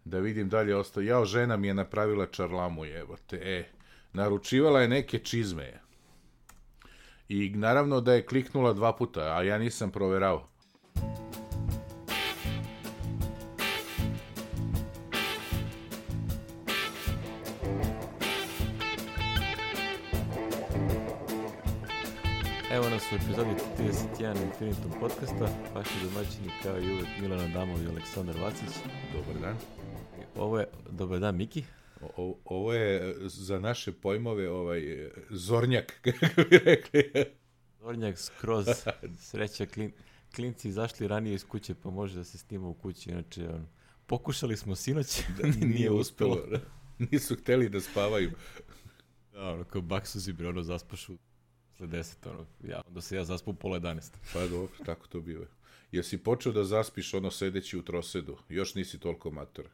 Da vidim dalje ostao. Jao, žena mi je napravila čarlamu, jebote. Naručivala je neke čizme. I naravno da je kliknula 2 puta, a ja nisam proverao. Evo nas u epizodi 31 Infinitum podcasta, vaši domaćini kao i uvek Milan Adamov i Aleksandar Vacić. Dobar dan. Ovo je, dobar dan Miki. Ovo je za naše pojmove zornjak, kako bi rekli. Zornjak skroz, sreća, klinci izašli ranije iz kuće pa može da se snima u kući, inače pokušali smo sinoć, nije uspelo. Nisu hteli da spavaju. Da, kao baksuzi bre, zaspašu posle 10, onda se ja zaspu pola 11. Pa dobro, tako to biva. Jesi počeo da zaspiš sedeći u trosedu? Još nisi toliko mator.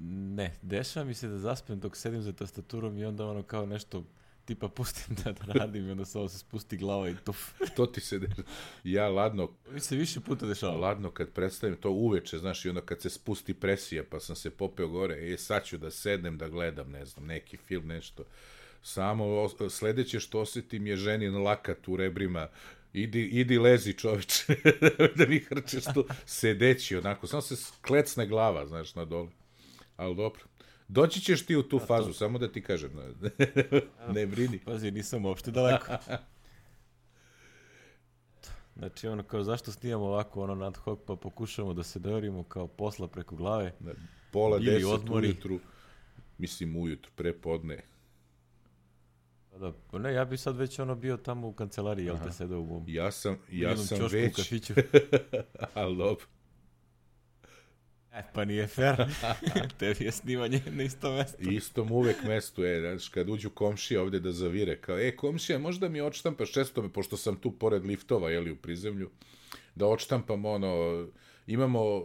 Ne, dešava mi se da zaspem dok sedim za tastaturom i onda kao nešto tipa pustim da radim i onda samo se spusti glava i tuf. To ti se dešava. Ja ladno... Mi se više puta dešava. Ladno kad predstavim to uveče, znaš, i onda kad se spusti presija pa sam se popeo gore, sad ću da sednem da gledam, ne znam, neki film, nešto. Samo sledeće što osjetim je ženin lakat u rebrima. Idi lezi, čoveče, da mi hrčeš tu sedeći, onako. Samo se klecne glava, znaš, na dole. Ali dobro. Doći ćeš ti u tu fazu, samo da ti kažem. Ne brini. Pazi, nisam uopšte daleko. Znači, kao zašto snijamo ovako, ad hoc, pa pokušamo da se dovorimo kao posla preko glave. Pola 10 ujutru, mislim ujutru, prepodne. Da, pa ne, ja bi sad već bio tamo u kancelariji, jel te sedao u ja sam već, u kafiću. ali dobro. Pa nije fair, tebi je snimanje na istom mestu. Istom uvek mestu, znaš, kad uđu komšije ovde da zavire, kao, komšija, možda mi odštampaš često, pošto sam tu pored liftova, jeli, u prizemlju, da odštampam, imamo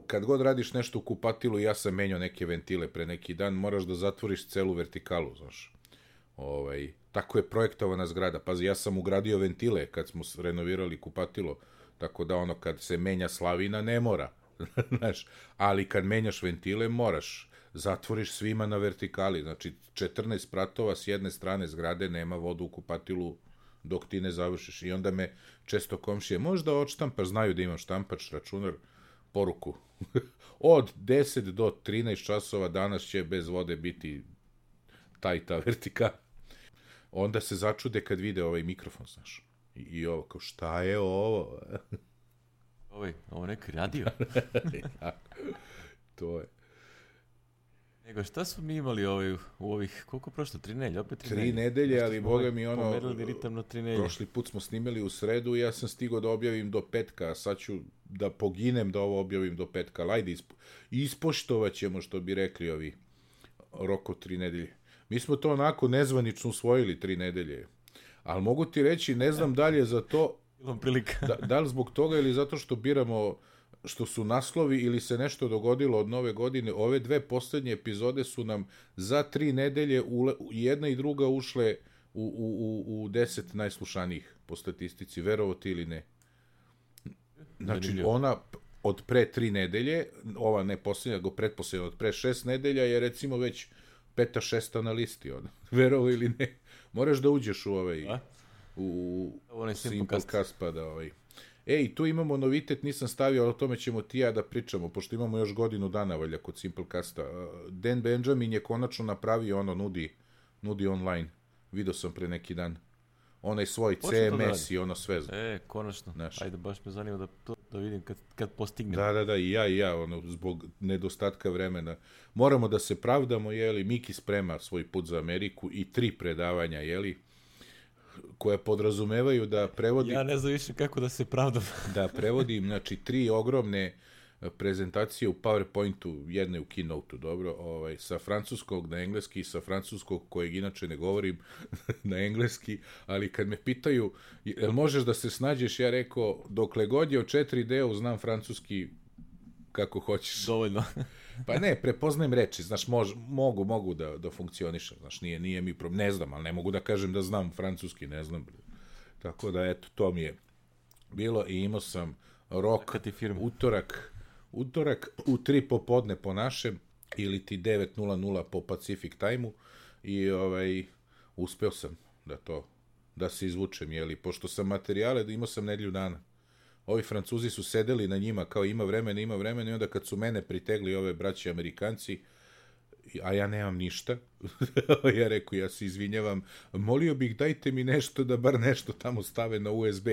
kad god radiš nešto u kupatilu, ja sam menjao neke ventile pre neki dan, moraš da zatvoriš celu vertikalu, znaš. Tako je projektovana zgrada. Pazi, ja sam ugradio ventile kad smo renovirali kupatilo, tako da kad se menja slavina ne mora, znaš, ali kad menjaš ventile moraš, zatvoriš svima na vertikali, znači 14 spratova s jedne strane zgrade, nema vodu u kupatilu dok ti ne završiš. I onda me često komšije, možda odštampaš, znaju da imam štampač, računar, poruku. Od 10 do 13 časova danas će bez vode biti ta vertikala. Onda se začude kad vide ovaj mikrofon, znaš. I ovo, kao, šta je ovo? Ovo neki radio. To je. Nego, šta smo mi imali u ovih, koliko prošlo, 3 nedelje? Opet 3 nedelje, ali boga mi pomerili ritam na 3 nedelje. Prošli put smo snimali u sredu i ja sam stigao da objavim do petka, a sad ću da poginem da ovo objavim do petka. Ajde, ispoštovat ćemo, što bi rekli ovi rok od 3 nedelje. Mi smo to onako nezvanično usvojili 3 nedelje, ali mogu ti reći, ne znam dalje za to, da li zbog toga ili zato što biramo, što su naslovi ili se nešto dogodilo od nove godine, ove 2 poslednje epizode su nam za 3 nedelje, jedna i druga ušle u 10 najslušanijih po statistici, verovo ti ili ne. Znači, ona od pre 3 nedelje, ova ne poslednja, nego pretposlednja, od pre 6 nedelja je recimo već 5. 6. na listi, verovo ili ne. Moraš da uđeš u Simplecast pa da i tu imamo novitet, nisam stavio, ali o tome ćemo ti ja da pričamo, pošto imamo još godinu dana valja kod Simplecasta. Dan Benjamin je konačno napravio nudi online. Video sam pre neki dan. Onaj svoj CMS i sve. Konačno. Ajde, baš me zanima da vidim kad postignem. Da, i ja, zbog nedostatka vremena. Moramo da se pravdamo, Miki sprema svoj put za Ameriku i 3 predavanja, koje podrazumevaju da prevodim... Ja ne znam više kako da se pravdam. Da prevodim, znači, 3 ogromne prezentacije u PowerPointu, jedne u Keynote-u, dobro, sa francuskog na engleski, sa francuskog kojeg inače ne govorim na engleski, ali kad me pitaju, jel možeš da se snađeš, ja rekao, dokle god je o 4D-u znam francuski kako hoćeš. Dovoljno. Pa ne, prepoznajem reči, znaš, mogu da funkcionišem, znaš, nije mi problem, ne znam, ali ne mogu da kažem da znam francuski, ne znam. Tako da, eto, to mi je bilo i imao sam rok, utorak, utorak u 3 popodne po našem ili ti 9:00 po Pacific time-u i uspeo sam da se izvučem, jeli, pošto sam materijale, imao sam nedelju dana. Ovi Francuzi su sedeli na njima kao ima vremena i onda kad su mene pritegli ove braće Amerikanci, a ja nemam ništa, ja reku, ja se izvinjavam, molio bih dajte mi nešto da bar nešto tamo stave na USB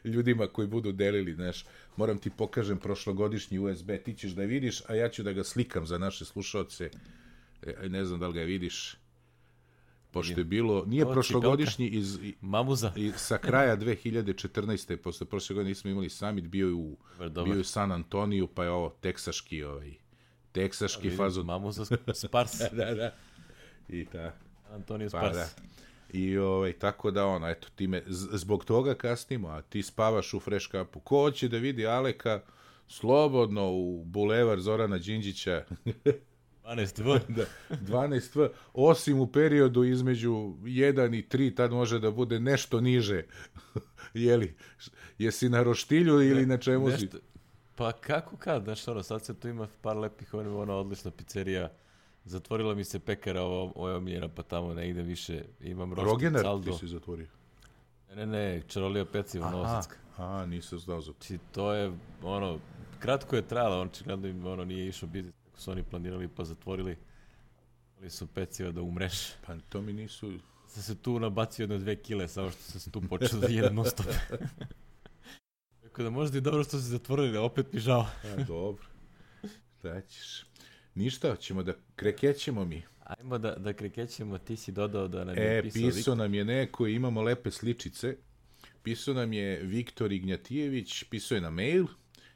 ljudima koji budu delili, znaš, moram ti pokažem prošlogodišnji USB, ti ćeš da vidiš, a ja ću da ga slikam za naše slušaoce, ne znam da li ga vidiš, pošto je bilo, nije prošlogodišnji Mamuza. sa kraja 2014. Posle prošle godine nismo imali summit, bio je u San Antoniju, pa je ovo teksaški fazon. Mamuza Spars. Da. I Antonio Spars. Da. I tako da eto, zbog toga kasnimo, a ti spavaš u fresh kapu. Ko hoće da vidi Aleka slobodno u bulevar Zorana Đinđića 12V. Da, 12V, osim u periodu između 1 i 3, tad može da bude nešto niže. Jeli, jesi na roštilju ili na čemu si? Pa kako kad, znaš, sad se tu ima par lepih, odlična pizzerija. Zatvorila mi se pekara, ovo je omiljena, pa tamo ne idem više. Imam roštilj Rogener caldo. Ti si zatvorio? Ne, Čarolija peciva, Novosadska. Aha, nisam znao za to. Znači, to je, kratko je trajala, očigledno im, nije išao biznis, kako su oni planirali, pa zatvorili. Ali su peciva da umreš. Pa to mi nisu... Sam se tu nabacio 2 kile, samo što sam se tu počeo da jedem non stop. Tako da možda i dobro što se zatvorili, a opet mi žao. Dobro. Da ćeš. Ništa, ćemo da krekećemo mi. Ajmo da krekećemo, ti si dodao da nam je pisao nam je neko, imamo lepe sličice. Pisao nam je Viktor Ignjatijević, pisao je na mail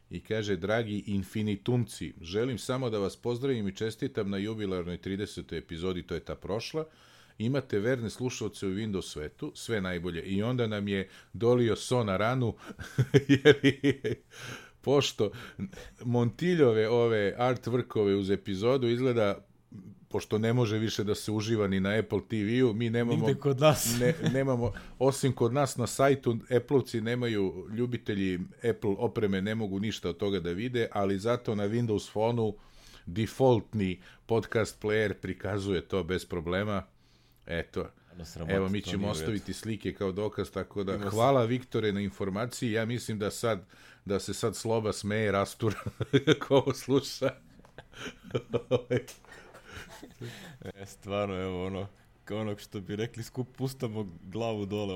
i kaže, dragi infinitumci, želim samo da vas pozdravim i čestitam na jubilarnoj 30. epizodi, to je ta prošla. Imate verne slušalce u Windows svetu, sve najbolje. I onda nam je dolio so na ranu, jer pošto Montiljove ove artworkove uz epizodu izgleda, pošto ne može više da se uživa ni na Apple TV-u, mi nemamo... Nigde kod nas. Nemamo, osim kod nas na sajtu, Apple-ovci nemaju, ljubitelji Apple opreme ne mogu ništa od toga da vide, ali zato na Windows Phone-u defaultni podcast player prikazuje to bez problema. Eto, evo mi ćemo ostaviti slike kao dokaz, tako da hvala Viktore na informaciji, ja mislim da se sad Sloba smeje rastura ko ovo sluša. Stvarno, evo kao onog što bi rekli, pustamo glavu dole,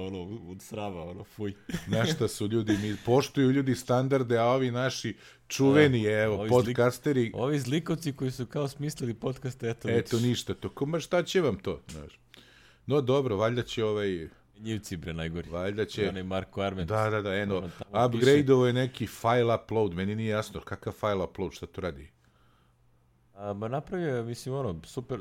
od srava, fuj. Znaš šta su ljudi, mi poštuju ljudi standarde, a ovi naši čuveni, podcasteri... Ovi zlikovci koji su kao smislili podcaste, eto ništa, to šta će vam to, znaš. No dobro, valjda će Njivci, najgori. Valjda će... Onaj Marko Arment. Da, upgrade-ovo je neki file upload, meni nije jasno, kakav file upload, šta to radi? Napravio je, mislim, super,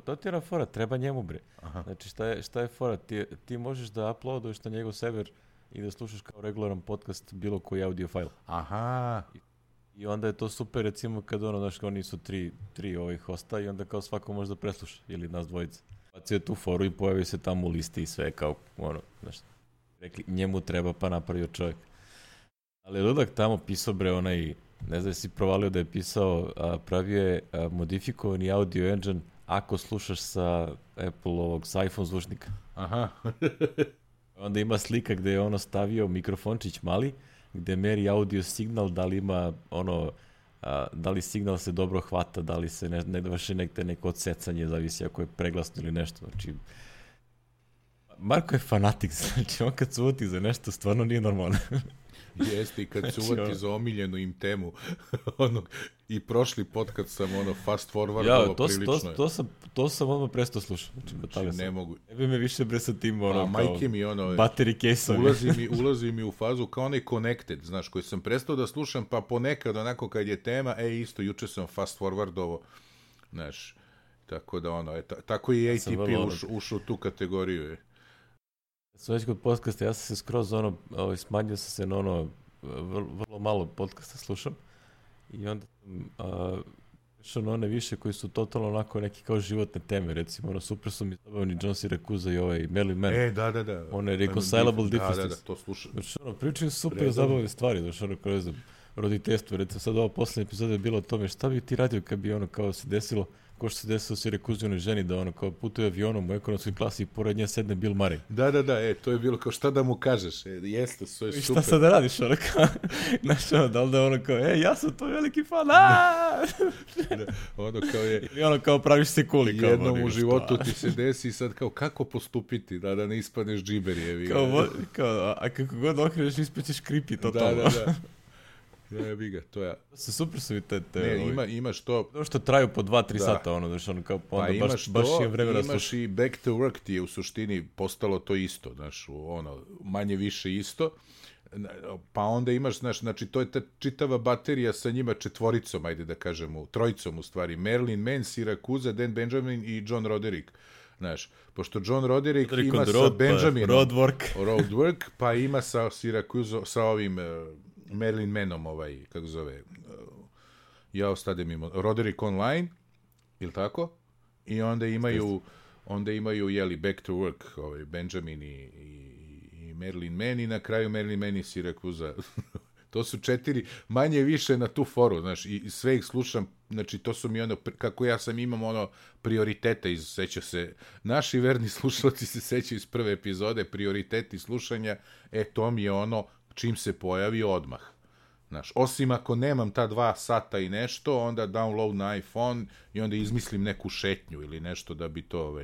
to ti je fora, treba njemu, bre. Aha. Znači, šta je fora? Ti možeš da uploaduješ na njegov server i da slušaš kao regularan podcast bilo koji audio file. Aha. I onda je to super, recimo, kad oni su tri hosta i onda kao svako može da presluša, ili nas dvojica. Bacio je tu foru i pojavio se tamo u listi i sve, kao, rekli, njemu treba, pa napravio čovjek. Ali ludak tamo pisao, bre, ne znam, si provalio da je pisao, pravio je modifikovani audio engine ako slušaš sa Apple-ovog, sa iPhone zvučnika. Aha. Onda ima slika gde je stavio mikrofončić mali, gde meri audio signal, da li ima da li signal se dobro hvata, da li se ne vrši neko odsecanje, zavisi ako je preglasno ili nešto. Znači, Marko je fanatik, znači on kad se uvati za nešto stvarno nije normalno. Jeste, i kad se uvati za omiljenu im temu, i prošli podcast sam fast forwardalo prilično. To sam odmah prestao slušati. Znači, ne mogu. Ne bi me više bre sa tim majke mi battery case-ovi. Ulazi mi u fazu kao onaj connected, znaš, koji sam prestao da slušam, pa ponekad onako kad je tema, isto, juče sam fast forwardovo, znaš, tako da tako i ATP ušao u tu kategoriju. Sad već kod podcasta, ja sam se skroz smanjio sam se na vrlo malo podcasta slušam i onda išao na one više koji su totalno onako neki kao životne teme, recimo super su mi zabavni John Siracusa i Merlin Mann. Da. One reconcilable differences. Da, to slušam. Znači pričaju super zabavne stvari, znači kroz roditeljstvo. Recimo sad ova posljednja epizoda je bila o tome šta bi ti radio kad bi ono kao se desilo, ko što se desilo Sirakuzinoj ženi, da ono kao putuje avionom u ekonomskoj klasi i pored nje sedne Bill Murray. Da, to je bilo kao šta da mu kažeš, jeste, to je super. I šta sad da radiš, ono kao, znaš ono, da li da ono kao, ja sam tvoj veliki fan, ono kao je... Ili ono kao praviš se kuli, kao... Jednom u životu ti se desi i sad kao, kako postupiti, da ne ispadneš džiber, jevi. Kao, a kako god okreneš, ispaćeš creepy, totalno. Da. Jebi ga, to je... Super su i te... Ne, imaš to... To što traju po 2-3 sata, ono, znaš, ono, kao, onda baš je vremena slušati. Imaš i Back to Work ti je u suštini postalo to isto, znaš, ono, manje više isto, pa onda imaš, znaš, znači, to je ta čitava baterija sa njima četvoricom, ajde da kažemo, trojicom u stvari, Marilyn Mann, Siracusa, Dan Benjamin i John Roderick. Znaš, pošto John Roderick ima sa Benjaminom Roadwork, pa ima sa Siracusa, sa ovim... Marilyn Mannom, kako zove, ja ostade mimo, Roderick Online, ili tako? I onda imaju, jeli, Back to Work, Benjamin i Marilyn Mann, i na kraju Marilyn Mann i Siracusa. To su 4 manje više na tu foru, znaš, i sve ih slušam, znači, to su mi ono, kako ja sam imam ono prioritete, seća se, naši verni slušalci se sećaju iz prve epizode, prioriteti slušanja, to mi je ono, čim se pojavi odmah. Znaš, osim ako nemam ta 2 sata i nešto, onda download na iPhone i onda izmislim neku šetnju ili nešto da bi to...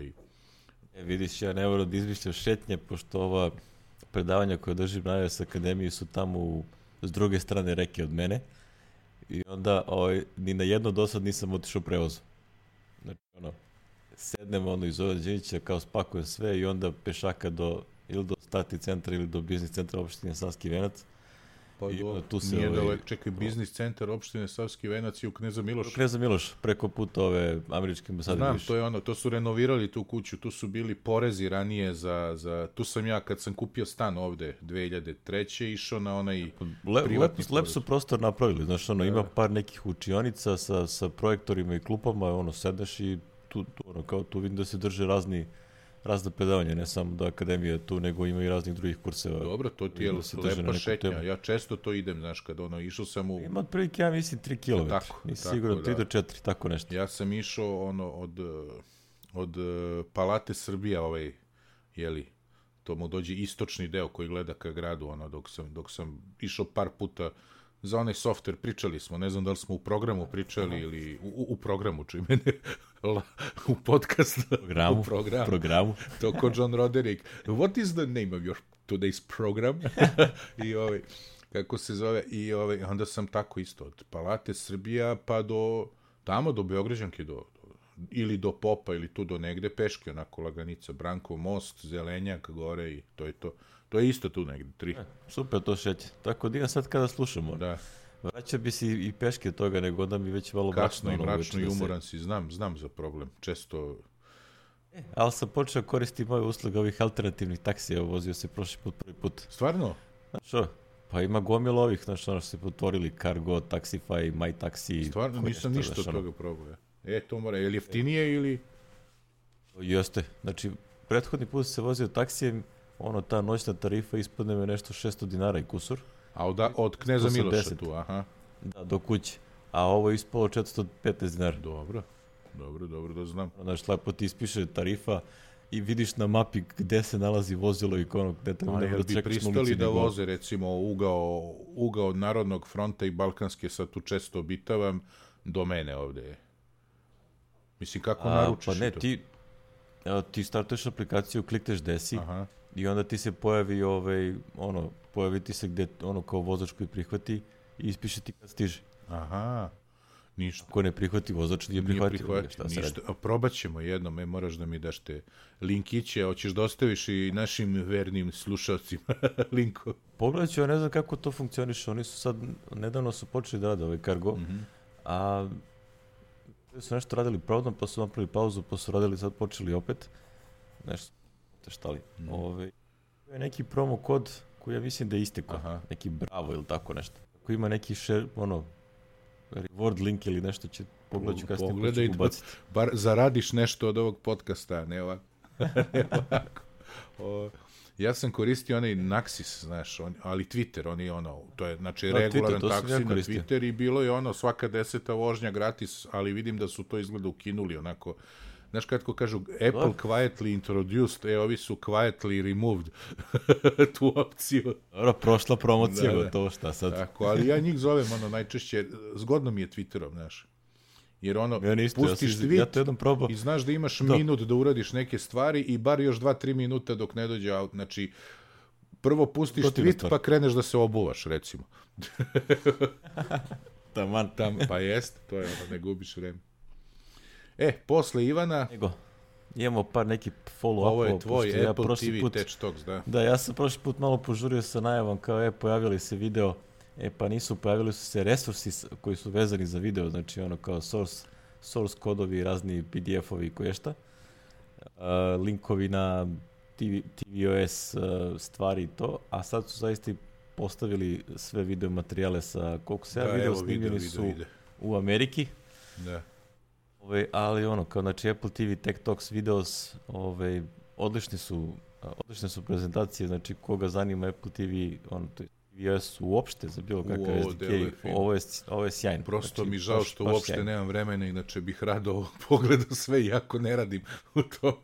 Vidiš, ja ne moram da izmišljam šetnje, pošto ova predavanja koje držim na iOS Akademiji su tamo s druge strane reke od mene i onda ni na jedno dosad nisam otišao u prevozu. Znači, sednem iz Đinđića, kao spakujem sve i onda pešaka ili do Stati centra ili do biznis centra opštine Savski Venac. Pa nije daleko, čekaj, biznis centar opštine Savski Venac i u Kneza Miloša. Kneza Miloš, preko puta ove američke ambasade. Znam, to je ono, to su renovirali tu kuću, tu su bili porezi ranije tu sam ja kad sam kupio stan ovde 2003. išao na onaj privatni porez. Lep su prostor napravili, znaš, ima par nekih učionica sa projektorima i klupama, sedneš i tu vidim da se drže razne predavanja, ne samo da akademija tu, nego ima i raznih drugih kurseva. Dobro, to ti je lepa šetnja. Ja često to idem, znaš, kad išao sam u... Ima otprilike, ja mislim, 3 km. Nisi sigurno, 3 do 4, tako nešto. Ja sam išao, od Palate Srbija, to mu dođe istočni deo koji gleda ka gradu, dok sam išao par puta za onaj software, pričali smo, ne znam da li smo u programu pričali ili u programu, čime ne, u podcastu. Programu. To ko John Roderick. What is the name of your today's program? I kako se zove, i onda sam tako isto, od Palate Srbija pa do Beograđanke, ili do Popa, ili tu do negde, peške, onako laganica, Brankov most, Zelenjak, gore i to je to. To je isto tu negde, 3. Super to šeće. Tako da sad kada slušamo. Da. Vraća bi si i peške toga, nego onda mi već malo kasno i mračno i umoran si, znam za problem. Često... Ali sam počeo koristiti moje usluge ovih alternativnih taksija, vozio se prošli put, prvi put. Stvarno? Znaš, pa ima gomilo ovih, znaš, što se potvorili, Cargo, Taxify, My Taxi. Stvarno, nisam ništa od toga probao. To mora, je li jeftinije ili... Jeste, znači, prethodni put se vozio taksijem, ta noćna tarifa ispadne me nešto 600 dinara i kusur. A od Kneza Miloša tu, aha. Da, do kuće. A ovo je ispalo 415 dinara. Dobro da znam. Znaš, lepo ti ispiše tarifa i vidiš na mapi gde se nalazi vozilo i gde tamo da čekaš. Bi pristali da voze, recimo, ugao Narodnog fronta i Balkanske, sad tu često obitavam, do mene ovde. Mislim, kako naručiš to? Pa ne, ti startuješ aplikaciju, klikneš desi, i onda ti se pojavi pojavi ti se gde kao vozač koji prihvati i ispiše ti kad stiže. Aha, ništa. Ako ne prihvati vozač, nije prihvatio. Ništa. Probat ćemo jednom, moraš da mi daš te linkiće, hoćeš da ostaviš i našim vernim slušalcima linko. Pogledat ću, ja ne znam kako to funkcioniše, oni su sad, nedavno su počeli da rade Cargo, a su nešto radili pravdom, pa su napravili pauzu, pa su radili, sad počeli opet, nešto štali. Je neki promo kod koji ja mislim da je istekao, neki Bravo ili tako nešto. Ako ima neki reward link ili nešto, pogledat ću kasnije početi ubaciti. Bar zaradiš nešto od ovog podcasta, ne ovako. Ja sam koristio onaj Naxis, znaš, ali Twitter, oni ono, to je, znači, Da, regularan Twitter, to sam taksi ja na koristio. Twitter i bilo je ono, svaka 10. vožnja gratis, ali vidim da su to izgleda ukinuli, onako, znaš, kako kažu, Apple quietly introduced, ovi su quietly removed tu opciju. Dobro, prošla promocija, Da, da. gotovo, šta sad? Tako, ali ja njih zovem, ono, najčešće, zgodno mi je Twitterom, znaš. Jer ono, Ja isto, pustiš tweet ja to jednom probao. i znaš da imaš minut da uradiš neke stvari i bar još 2-3 minuta dok ne dođe aut. Znači, prvo pustiš tweet pa kreneš da se obuvaš, recimo. Taman. Pa jeste, to je ono, ne gubiš vreme. Posle Ivana... Imamo par neki follow-up. Ovo je tvoj Apple TV Tech Talks, da. Da, ja sam prošli put malo požurio sa najavom, kao pojavili se video, pa nisu, pojavili su se resursi koji su vezani za video, znači ono kao source kodovi, razni PDF-ovi i koješta, linkovi na tvOS stvari i to, a sad su zaista postavili sve video materijale sa, koliko se video snimljeni su u Ameriki. Da. Ali ono, kao znači Apple TV Tech Talks videos, odlične su prezentacije, znači koga zanima Apple TV, to je tvOS uopšte za bilo kakav SDK, ovo je sjajno. Prosto znači, mi žao što uopšte sjajno. Nemam vremena, inače bih rado pogledao sve, iako ne radim u to.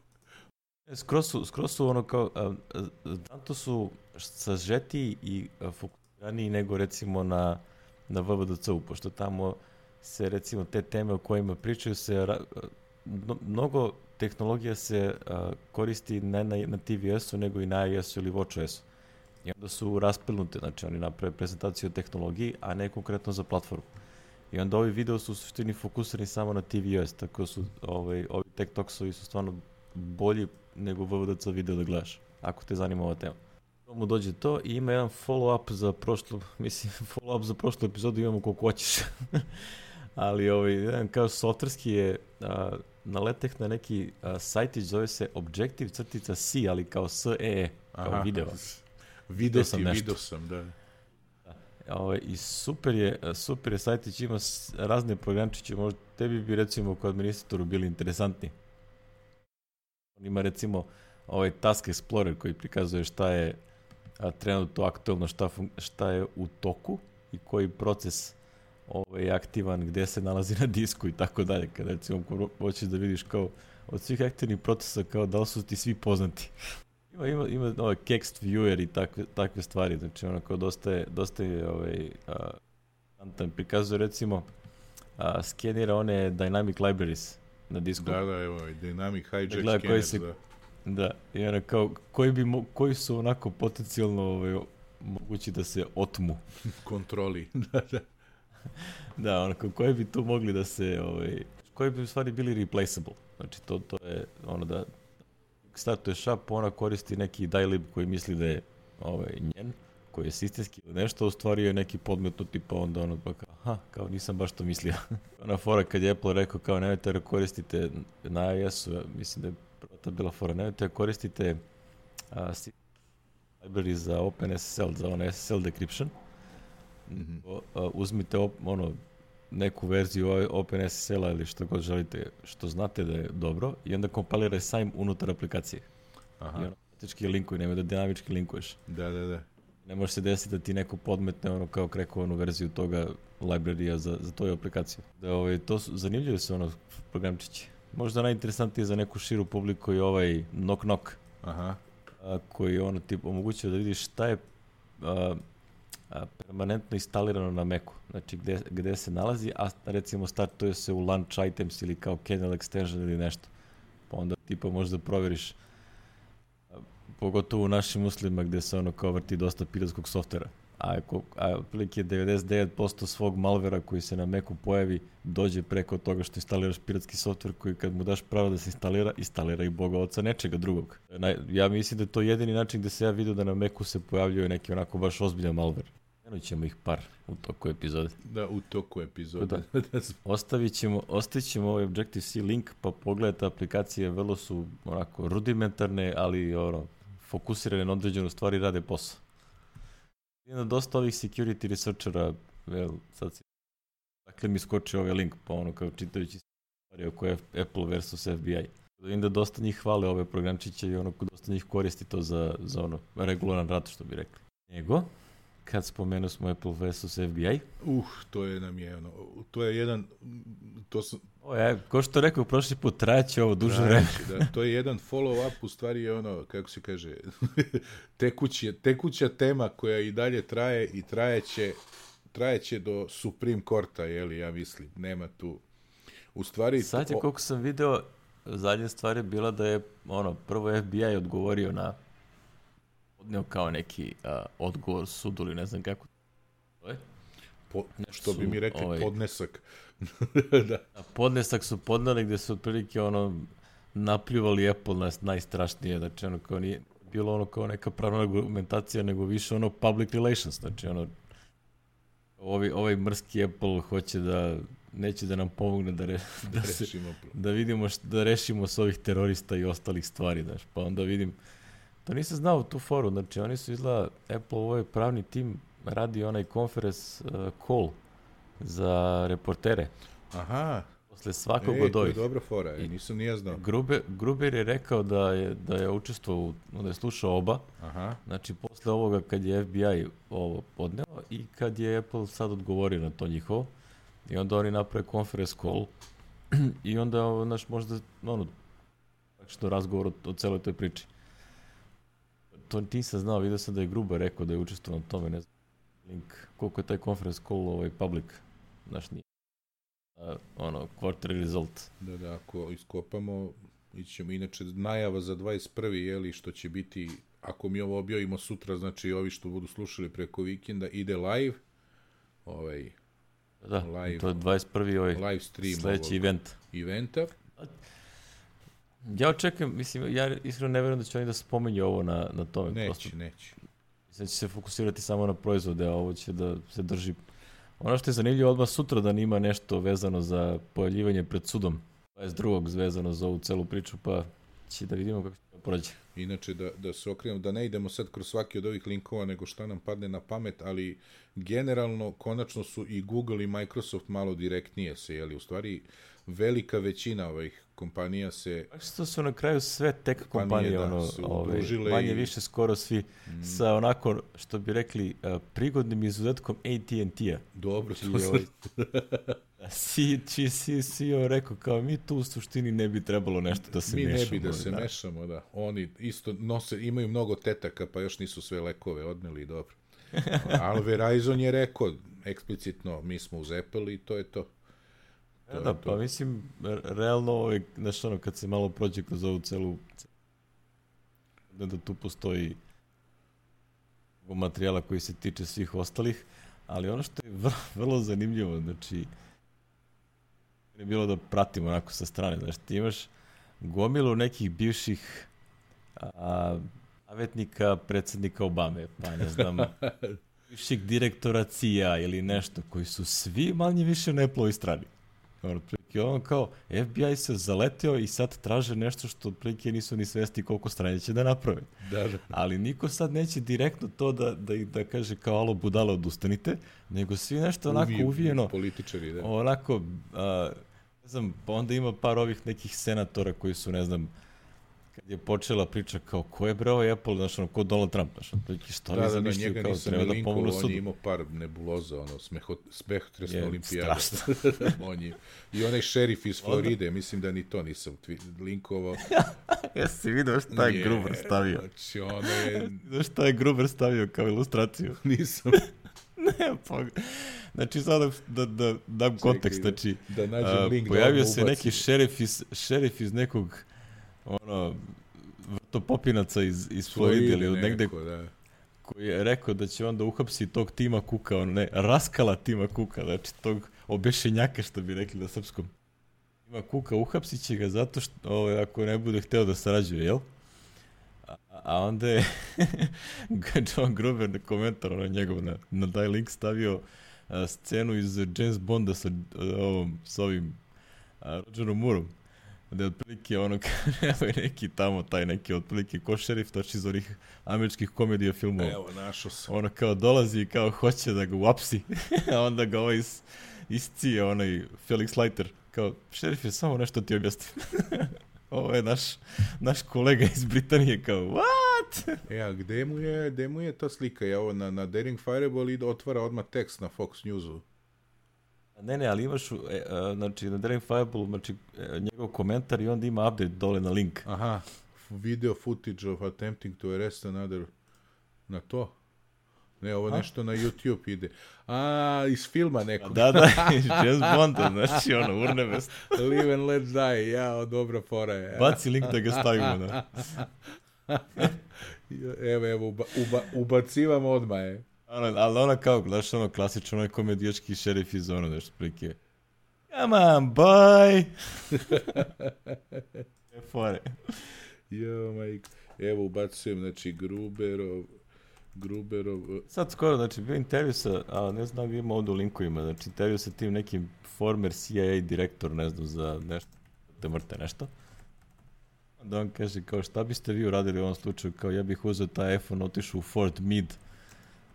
Skroz su ono kao, tanto su sažetiji i fokusiraniji nego recimo na VVDC-u, pošto tamo se recimo te teme o kojima pričaju se, mnogo tehnologija se koristi ne na tvOS-u nego i na iOS-u ili watchOS-u. I onda su raspilnute, znači oni naprave prezentaciju o tehnologiji, a ne konkretno za platformu. I onda ovi video su u suštini fokusirani samo na tvOS, tako su ovi Tech Talksovi su stvarno bolji nego VVDC video da gledaš, ako te zanima ova tema. Mu dođe to i ima jedan follow-up za prošlu epizodu imamo koliko hoćeš. Ali jedan kao softverski je naleteh na neki sajtić, zove se Objective-C, ali kao SEE, kao video. Video sam, da. I super je sajtić, ima razne programčiće, možda tebi bi recimo kao administratoru bili interesantni. On ima recimo Task Explorer koji prikazuje šta je trenutno aktualno, šta je u toku i koji proces je aktivan, gde se nalazi na disku i tako dalje. Kada recimo hoćeš da vidiš kao od svih aktivnih procesa kao da li su ti svi poznati. Ima Kext Viewer i takve stvari, znači ono kao dosta je prikazuje recimo skenira one dynamic libraries na disku. Da, evo, dynamic hijack scanner, da, i ono kao, koji su onako potencijalno mogući da se otmu. Kontroli, da. Da, ono kao, koji bi tu mogli da se, koji bi u stvari bili replaceable. Znači, to je ono da startuješ app, ona koristi neki dylib koji misli da je njen, koji je sistemski ili nešto, u stvari je neki podmetnuti, pa onda ono pa kao nisam baš to mislio. Ona fora kad je Apple rekao kao nemojte da koristite na iOS-u, mislim da je prva ta bila fora, nemojte da koristite library za OpenSSL, za ono SSL decryption. Uzmite neku verziju OpenSSL-a ili što god želite, što znate da je dobro, i onda kompiliraj sajm unutar aplikacije. Aha. I automatički linkuje, nemoj da dinamički linkuješ. Da. Ne može se desiti da ti neko podmetne kao krekovanu verziju toga librarija za tvoju aplikaciju. To su zanimljive su programčići. Možda najinteresantnije za neku širu publiku je Knock Knock. Aha. Koji omogućuje da vidiš šta je permanentno instalirano na Macu, znači gde se nalazi, a recimo startuje se u launch items ili kao kernel extension ili nešto. Pa onda možda provjeriš, pogotovo u našim uslovima gde se kao vrti dosta piratskog softvera. A otprilike 99% svog malvera koji se na Macu pojavi dođe preko toga što instaliraš piratski softver koji kad mu daš pravo da se instalira i boga oca nečega drugog. Ja mislim da je to jedini način gde se ja vidio da na Macu se pojavljuje neki onako baš ozbiljan malver. Menut ćemo ih par u toku epizode. Da, u toku epizode. Ostavit ćemo ovaj Objective-C link, pa pogledajte aplikacije, vrlo su onako rudimentarne, ali fokusirane na određenu stvari, rade posao. Ima dosta ovih security researchera, dakle mi skoči ovaj link, pa kao čitajući stvari oko Apple versus FBI. Vidim da dosta njih hvale ove programčiće i ono, dosta njih koristi to za ono, regularan rad, što bi rekli. Nego, kad spomenuo smo Apple vs. FBI. To je nam je, to je jedan, ko što rekao prošli put, trajaće ovo duže vreme. Da, to je jedan follow-up, u stvari je ono, kako se kaže, tekuća tema koja i dalje traje i trajeće do Supreme Courta, ja mislim, nema tu. U stvari... Sad je, koliko sam video, zadnja stvar je bila da je, prvo FBI odgovorio odneo kao neki odgovor sudu ili ne znam kako to je. Što bi mi rekli, podnesak. Da. Podnesak su podneli gde su otprilike napljuvali Apple najstrašnije, znači kao nije bilo kao neka pravna argumentacija, nego više public relations, znači ovaj mrski Apple neće da nam pomogne da vidimo da rešimo s ovih terorista i ostalih stvari, znači, pa onda vidim, to nisam znao tu foru, znači oni su izgleda, Apple, ovaj pravni tim radi onaj conference call za reportere. Aha. Posle svakog od ovih. To je dobra fora, nisam nije znao. Gruber je rekao da je učestvovao, da je slušao oba. Aha. Znači, posle ovoga kad je FBI ovo podneo i kad je Apple sad odgovorio na to njihovo. I onda oni naprave conference call i onda, možda, što razgovor o celoj toj priči. To nisam znao, vidio sam da je Gruber rekao da je učestvovao na tome, ne znam, link, koliko je taj conference call public, nije. Quarter result. Da, ako iskopamo, ićemo, inače najava za 21. Što će biti, ako mi ovo objavimo sutra, znači ovi što budu slušali preko vikenda, ide live, live, to je 21. live stream sledeći eventa. Ja očekujem, mislim, ja iskreno ne verujem da će oni da spomenju ovo na tome. Neće. Mislim da će se fokusirati samo na proizvode, a ovo će da se drži. Ono što je zanimljivo, odmah sutra da nima nešto vezano za pojavljivanje pred sudom, 22. vezano za ovu celu priču, pa će da vidimo kako će to prođe. Inače, da se okrenemo, da ne idemo sad kroz svaki od ovih linkova, nego šta nam padne na pamet, ali generalno, konačno su i Google i Microsoft malo direktnije se, u stvari, velika većina ovih kompanija se... Što su na kraju sve tech kompanije, manje više skoro svi, sa onako, što bi rekli, prigodnim izuzetkom AT&T-a. Dobro, si rekao, kao mi tu u suštini ne bi trebalo nešto da se mešamo. Mi ne bi da se mešamo, da. Oni isto imaju mnogo tetaka, pa još nisu sve lekove odneli, dobro. Ali Verizon je rekao eksplicitno, mi smo uz Apple i to je to. Pa mislim, realno, kad se malo prođe kroz ovu celu, da tu postoji materijala koji se tiče svih ostalih, ali ono što je vrlo zanimljivo, znači, je bilo da pratimo onako sa strane, znači, ti imaš gomilu nekih bivših savjetnika predsjednika Obame, pa ne znam, bivših direktora CIA ili nešto, koji su svi manje više na Apple-ovoj strani. Kao, FBI se zaleteo i sad traže nešto što otprilike nisu ni svesti koliko stranje će da naprave. Da. Ali niko sad neće direktno to da kaže kao alo budale odustanite, nego svi nešto onako uvijeno. Političari, da. Onako, ne znam, pa onda ima par ovih nekih senatora koji su, ne znam, kad je počela priča kao ko je bre ovaj Apple, znaš, ko Donald Trump, znaš, što li zamišljaju kao treba da pomognu sudu. On je imao par nebuloza, smehotresna olimpijada. Strašno. I onaj šerif iz Floride, mislim da ni to nisam linkovao. Jesi vidio šta je Gruber stavio? Znači, ono je... Vidio šta je Gruber stavio kao ilustraciju? Nisam. Ne, pa... Znači, sad da dam kontekst, znači... Da nađem link da pojavio se neki šerif iz nekog vrtopopinaca iz Floride ili od negde, koji je rekao da će onda uhapsi tog Tima Cooka, raskala Tima Cooka, znači tog obešenjaka, što bi rekli na srpskom. Tima Cooka uhapsit će ga zato što ako ne bude hteo da sarađuje, jel? A onda je John Gruber na komentar njegov na taj link stavio scenu iz James Bonda sa ovim Rogerom Moorom. Da je otprilike evo je neki tamo, taj neki otprilike ko šerif, toči iz onih američkih komedija filmova. Evo, našao sam. Kao dolazi i kao hoće da ga uapsi, a onda ga iscije Felix Leiter. Kao, šerif je samo nešto ti objasnim. ovo je naš kolega iz Britanije, kao, what? A gde mu je ta slika? Ja ovo na Daring Fireball ide, otvara odmah tekst na Fox Newsu. Ne, ali imaš, znači, na Daring Fireball, znači, njegov komentar i onda ima update dole na link. Aha, video footage of attempting to arrest another, na to? Ne, ovo nešto na YouTube ide. Iz filma nekog. Da, iz James Bonda, znači, urnebest. Live and let die, dobra fora je. Baci link da ga stavimo, da. Evo, ubacivamo odmah, je. Ali ona kao, znaš, klasično, onaj komedijački šerif iz nešto prilike. Come on, boy! Fore. Majko. Evo, ubacujem, znači, Gruberov... Sad skoro, znači, bio intervju sa, ne znam da ima ovdje u linkovima, znači, intervju sa tim nekim former CIA direktor, ne znam, za nešto, te mrte nešto. Da on kaže, kao, šta biste vi uradili u ovom slučaju, kao, ja bih uzeo taj iPhone, otišao u Fort Meade,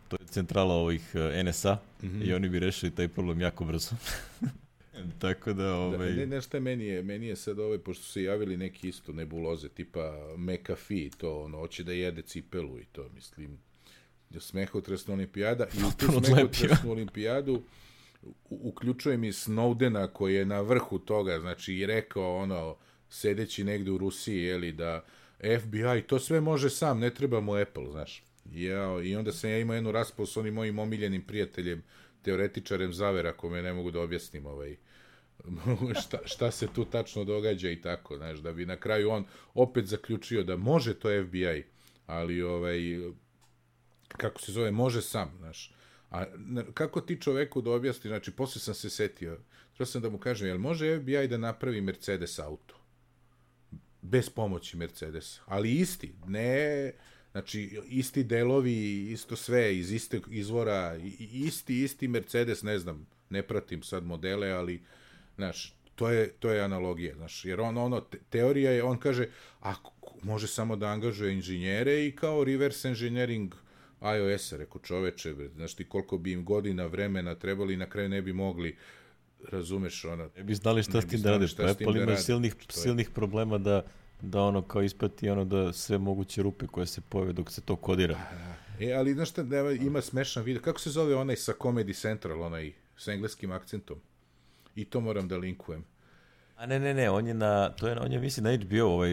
to je centrala ovih NSA, i oni bi rešili taj problem jako brzo. Tako da, Nešto meni je sad pošto su se javili neki isto nebuloze, tipa McAfee, to, hoće da jede cipelu i to, mislim, smehotresna olimpijada, i u tu smehotresnu olimpijadu uključujem i Snowdena koji je na vrhu toga, znači, i rekao, sedeći negde u Rusiji, jeli, da FBI, to sve može sam, ne treba mu Apple, znaš. I onda sam ja imao jednu raspravu s onim mojim omiljenim prijateljem, teoretičarem zavera, kome ne mogu da objasnim šta se tu tačno događa i tako, znaš, da bi na kraju on opet zaključio da može to FBI, ali kako se zove, može sam, znaš. A kako ti čoveku da objasni, znači, posle sam se setio, trebao sam da mu kažem, jel može FBI da napravi Mercedes auto? Bez pomoći Mercedesa, ali isti, ne... Znači, isti delovi, isto sve, iz istog izvora, isti Mercedes, ne znam, ne pratim sad modele, ali, znaš, to je analogija, znaš, jer teorija je, on kaže, može samo da angažuje inženjere i kao reverse engineering iOS-a, rekao, čoveče, znaš ti koliko bi im godina vremena trebali i na kraju ne bi mogli, razumeš, ne bi znali šta s tim da radiš, Apple ima silnih problema da kao isprati da sve moguće rupe koje se pojave dok se to kodira. Ali znaš šta, ima smešan video, kako se zove onaj sa Comedy Central, onaj s engleskim akcentom? I to moram da linkujem. A ne, on je mislim na HBO,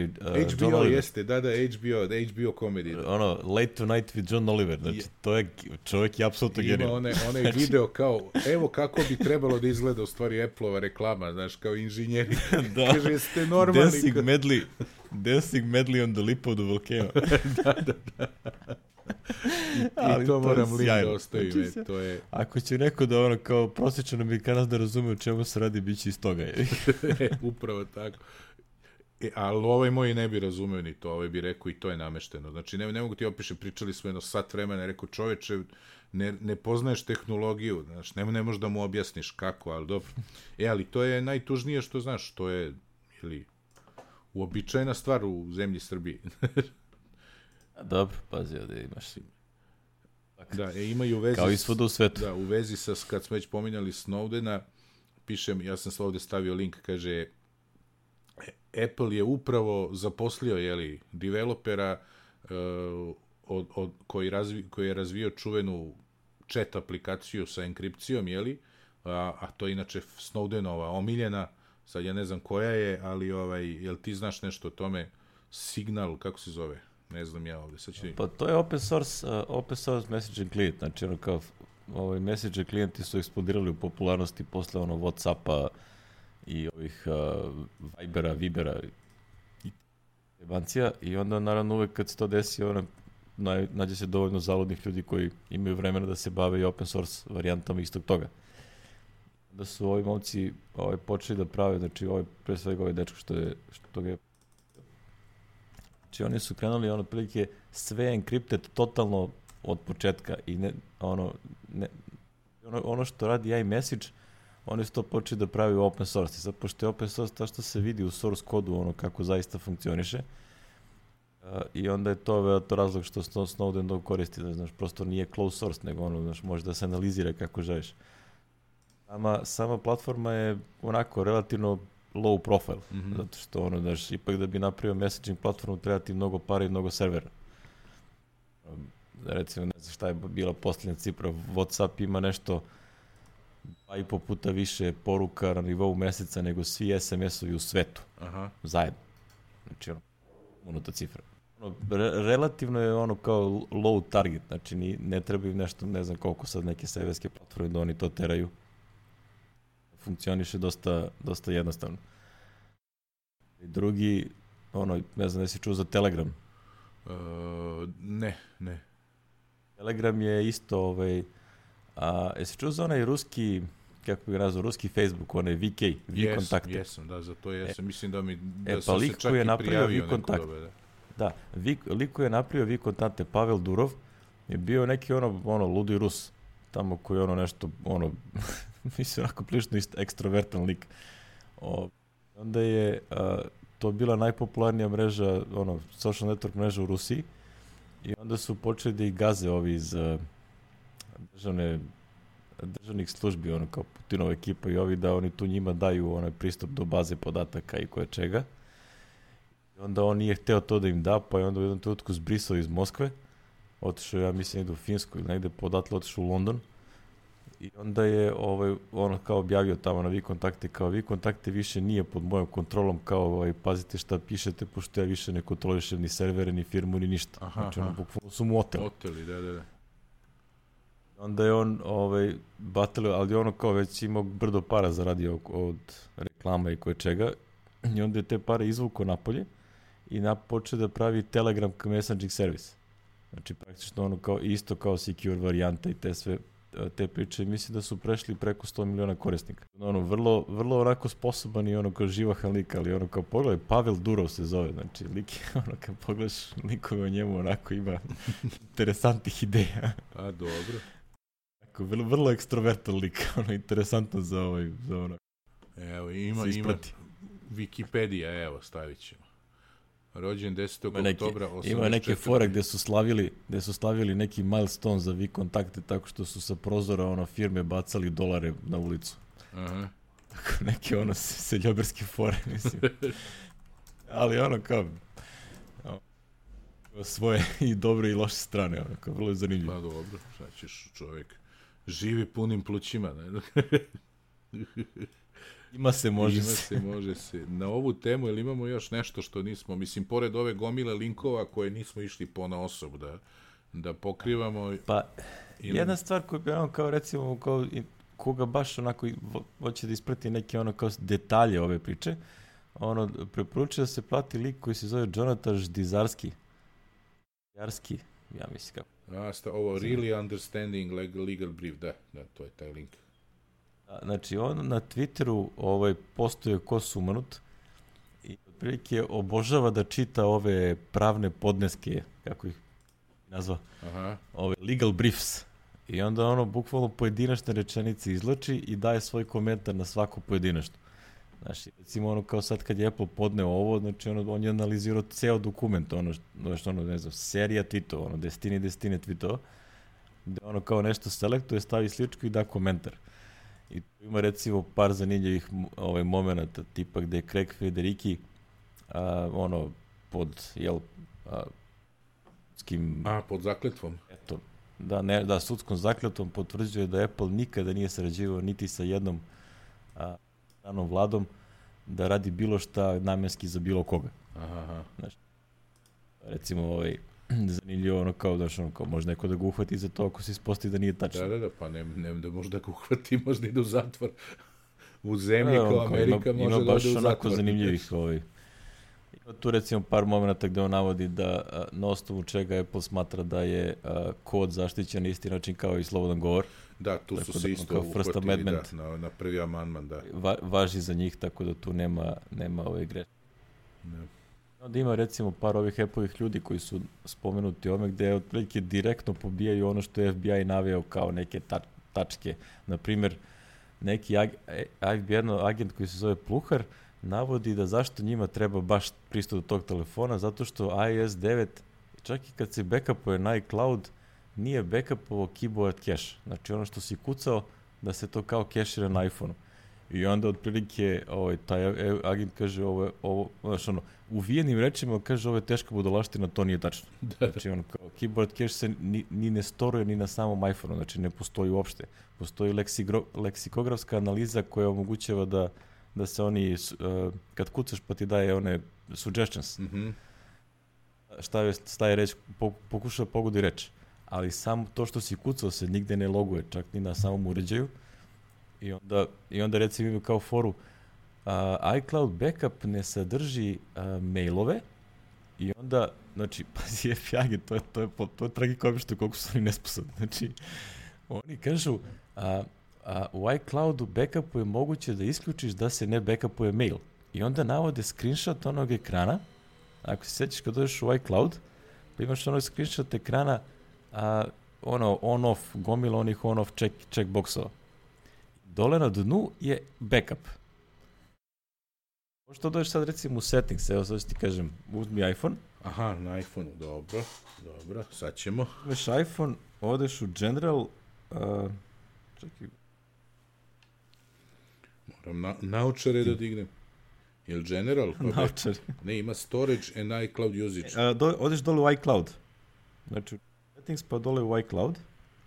HBO jeste, da, HBO comedy. Late Tonight with John Oliver, znači to je, čovjek je apsolutno genijalno. Ima onaj video kao, evo kako bi trebalo da izgleda u stvari Apple-ova reklama, znaš, kao inženjeri. Da. Kaže, jeste normalni. Dancing medley on the lip of the volcano. Da. I to moram link da ostavim, znači, to je... Ako će neko da kao prosječan Amerikanac da razume o čemu se radi, bit će iz toga. Upravo tako. Ali moj ne bi razumeo ni to, bi rekao i to je namešteno. Znači, ne mogu ti opišem, pričali smo jedno sat vremena, rekao, čoveče, ne poznaješ tehnologiju, znaš, ne možeš da mu objasniš kako, ali dobro. Ali to je najtužnije što, znaš, to je, uobičajena stvar u zemlji Srbiji. Dobro, pazi, ovdje imaš. Da, imaju vezi... Kao i svuda u svetu. Da, u vezi sa, kad smo već pominjali Snowdena, pišem, ja sam ovdje stavio link, kaže, Apple je upravo zaposlio, developera koji je razvio čuvenu chat aplikaciju sa enkripcijom, a to je inače Snowdenova omiljena, sad ja ne znam koja je, ali jel ti znaš nešto o tome, Signal, kako se zove? Ne znam ja ovdje, sad ću... Pa to je open source messaging client, znači kao messaging klijenti su eksplodirali u popularnosti posle Whatsappa i ovih Vibera i jebancija, i onda naravno uvek kad se to desi, nađe se dovoljno zaludnih ljudi koji imaju vremena da se bave i open source varijantama istog toga. Da su ovi momci počeli da prave, znači pre svega ovaj dečko što ga je... Znači oni su krenuli otprilike sve encrypted totalno od početka i ono što radi iMessage, oni su to počeli da pravi u open source. Sad, pošto je open source to što se vidi u source kodu, kako zaista funkcioniše, i onda je to razlog što Snowden to koristi, da znaš, prosto nije closed source, nego može da se analizira kako želiš. Sama platforma je onako relativno low profile, zato što ono, daš, ipak da bi napravio messaging platformu treba ti mnogo para i mnogo servera. Recimo, ne znam šta je bila posljednja cifra, WhatsApp ima nešto 2,5 puta više poruka na nivou meseca nego svi SMS-ovi u svetu. Aha. Zajedno. Znači, ono, unuta cifra. Ono, relativno je ono kao low target, znači ne treba im nešto, ne znam koliko sad neke serverske platforme da oni to teraju. Funkcioniše dosta jednostavno. I drugi, ono, ne znam da si čuo za Telegram. Ne. Telegram je isto, jesi čuo za onaj ruski, kako bih nazvao, ruski Facebook, onaj VK, V-kontakte? Jesam, da, za to jesam. Mislim da pa sam se čak i prijavio neko dobe. Da, lik koji je napravio V-kontakte, Pavel Durov, je bio neki ono ludi Rus, tamo koji ono nešto, ono, mislim, onako prilično ekstrovertan lik. Onda je to bila najpopularnija mreža, ono, social network mreža u Rusiji, i onda su počeli da ih gaze ovi iz državnih službi, ono, kao Putinova ekipa i ovi, da oni tu njima daju onaj pristup do baze podataka i koje čega. I onda on nije hteo to da im da, pa je onda u jednom trenutku zbrisao iz Moskve, otišao, ja mislim, negde u Finsku ili negde podatle, otišao u London. I onda je ono kao objavio tamo na V-kontakte, kao V-kontakte više nije pod mojom kontrolom, kao pazite šta pišete, pošto ja više ne kontrolišem ni servere, ni firmu, ni ništa. Aha, znači ono, bukvalno su mu oteli. Da. Onda je on batalio, ali ono kao već imao brdo para zaradio od reklama i koje čega, i onda je te pare izvukao napolje i počeo da pravi Telegram messaging servis. Znači praktično ono kao isto kao secure varijanta i te priče, mislim da su prešli preko 100 miliona korisnika. Ono, vrlo onako sposoban i ono kao živahan lik, ali ono kao pogledaj, Pavel Durov se zove, znači lik je ono kad pogledaš likove o njemu onako ima interesantnih ideja. A, dobro. Tako, vrlo ekstrovertan lik, ono, interesantno za ono. Evo, ima Wikipedia, evo, stavit ćemo. Rođen 10. oktobra 84. Ima neke fore gde su slavili neki milestone za V-kontakte tako što su sa prozora firme bacali dolare na ulicu. Aha. Tako neke seljoberske fore, mislim. Ali ono kao svoje i dobre i loše strane, ono kao vrlo je zanimljivo. Pa dobro, sad ćeš čovjek živi punim plućima, ne? Može se. Na ovu temu, ili imamo još nešto što nismo, mislim, pored ove gomile linkova koje nismo išli ponaosob da pokrivamo. Pa, jedna stvar koju bi kao recimo, koga baš onako hoće da isprati neke kao detalje ove priče, preporučuje da se plati lik koji se zove Jonathan Ždizarski. Ja mislim kako. Ovo Really Understanding Legal Brief, da, to je taj link. Znači, on na Twitteru postuje ko sumanut i otprilike obožava da čita ove pravne podneske, kako ih nazva, ove legal briefs. I onda bukvalno pojedinačne rečenice izlači i daje svoj komentar na svaku pojedinačnu. Znači, recimo kao sad kad je Apple podneo ovo, znači on je analizirao ceo dokument, ne znam, serija tweetova, desetine tweetova, gde kao nešto selektuje, stavi sličku i da komentar. I tu ima recimo par zanimljivih momenata, tipa gde je Craig Federighi pod sudskim... pod zakletvom. Eto, da, sudskom zakletvom potvrđuje da Apple nikada nije sarađivao niti sa jednom stranom vladom da radi bilo šta namenski za bilo koga. Aha. Znači, recimo zanimljivo kao može neko da ga uhvati za to ako se ispostavi da nije tačno. Da, pa ne da možda ga uhvati, možda ide u zatvor. U zemlji kao Amerika može da ode u zatvor. Ima baš onako zanimljivih Ima tu recimo par momenta gde on navodi da na osnovu čega Apple smatra da je kod zaštićen na isti način kao i slobodan govor. Da, tu su se isto uhvatili na prvi amandman, da. Važi za njih, tako da tu nema greške. Onda ima recimo par ovih Apple-ovih ljudi koji su spomenuti ome gde otprilike direktno pobijaju ono što je FBI naveo kao neke tačke. Naprimjer, neki agent koji se zove Pluhar navodi da zašto njima treba baš pristup do tog telefona, zato što iOS 9, čak i kad se backupuje na iCloud, nije backupovao keyboard cache. Znači ono što si kucao, da se to kao kešira na iPhone-u. I onda otprilike taj agent kaže ovo znaš, uvijenim rečima kaže ovo je teška budalaština, to nije tačno. Znači kao keyboard cache se ni ne storuje ni na samom iPhone-u, znači ne postoji uopšte. Postoji leksikografska analiza koja omogućava da se oni, kad kucaš pa ti daje one suggestions, šta je reč, pokuša pogodi reč. Ali samo to što si kucao se nigde ne loguje, čak ni na samom uređaju. I onda recimo imaju kao foru, iCloud backup ne sadrži mailove i onda, znači, pazi, FIAG, to je tragikomično koliko su oni nesposobni. Znači, oni kažu, u iCloudu backupu je moguće da isključiš da se ne backupuje mail. I onda navode screenshot onog ekrana, ako se sećaš kad dođeš u iCloud, pa imaš onog screenshot ekrana, on-off, gomila onih on-off checkboxova. Dole na dnu je backup. Možda dođeš sad recimo u settings, evo sad ti kažem, uzmi iPhone. Aha, na iPhone, dobro, sad ćemo. Uzmeš iPhone, odeš u general, čekaj. Moram naučare da dignem. Je li general? Naučare. Ne, ima storage and iCloud usage. Odeš dole u iCloud. Znači, settings pa dole u iCloud.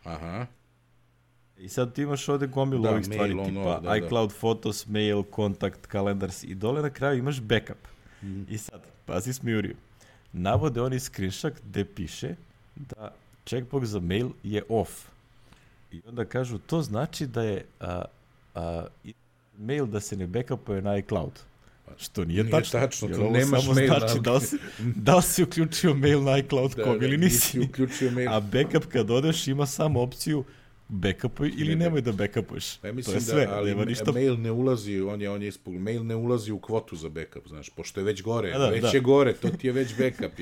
Aha. I sad ti imaš ovde gomilu ovih stvari, tipa iCloud, Photos, Mail, Kontakt, Kalendars i dole na kraju imaš backup. I sad, pazi smijuriju, navode oni screenshot gde piše da checkbox za mail je off. I onda kažu, to znači da je mail da se ne backupuje na iCloud. Što nije tačno, to nemaš mail. Znači da li si uključio mail na iCloud ili nisi. Uključio mail. A backup kad odeš ima samo opciju backupuj ili nemoj da backupuješ. Pa mislim to je sve, ali mail ne ulazi, mail ne ulazi u kvotu za backup, znaš, pošto je već gore, je gore, to ti je već backup.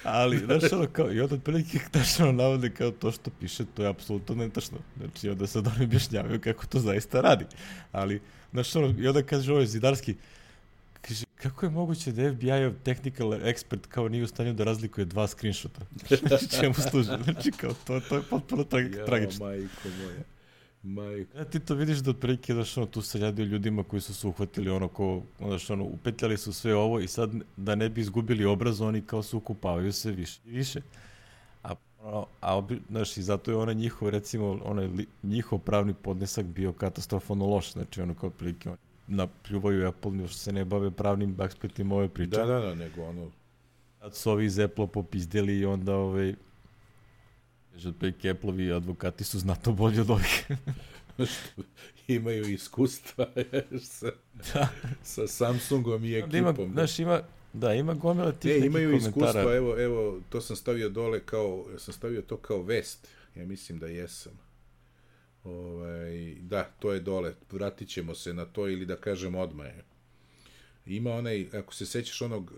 Ali, znaš, kao, i onda otprilike tačno navode kao to što piše, to je apsolutno netačno. Znači, onda sad oni objašnjavaju kako to zaista radi. Ali, znaš, i onda kaže ovo Zidarski, kaže, kako je moguće da FBI-ov technical expert kao nije u stanju da razlikuje dva screenshota? Čemu služi? Znači, kao, to je potpuno tragično. Majko moja. Ja, ti to vidiš da otprilike, znaš, tu se radi o ljudima koji su se uhvatili upetljali su sve ovo i sad da ne bi izgubili obraz, oni kao se ukupavaju sve više i više. Znaš, i zato je onaj njihov, recimo, njihov pravni podnesak bio katastrofalno loš. Znači, kao otprilike, napljuvaju Apple, što se ne bave pravnim aspektima ove priče. Da, nego Sad su ovi iz Apple popizdeli i onda otprilike Apple-ovi advokati su znatno bolji od ovih. Imaju iskustva sa Samsungom i ekipom. Ima gomila tih nekih imaju komentara. Iskustva, evo, to sam stavio dole sam stavio to kao vest. Ja mislim da jesam. Da, to je dole, vratit ćemo se na to ili da kažem odmah. Ima ako se sećaš onog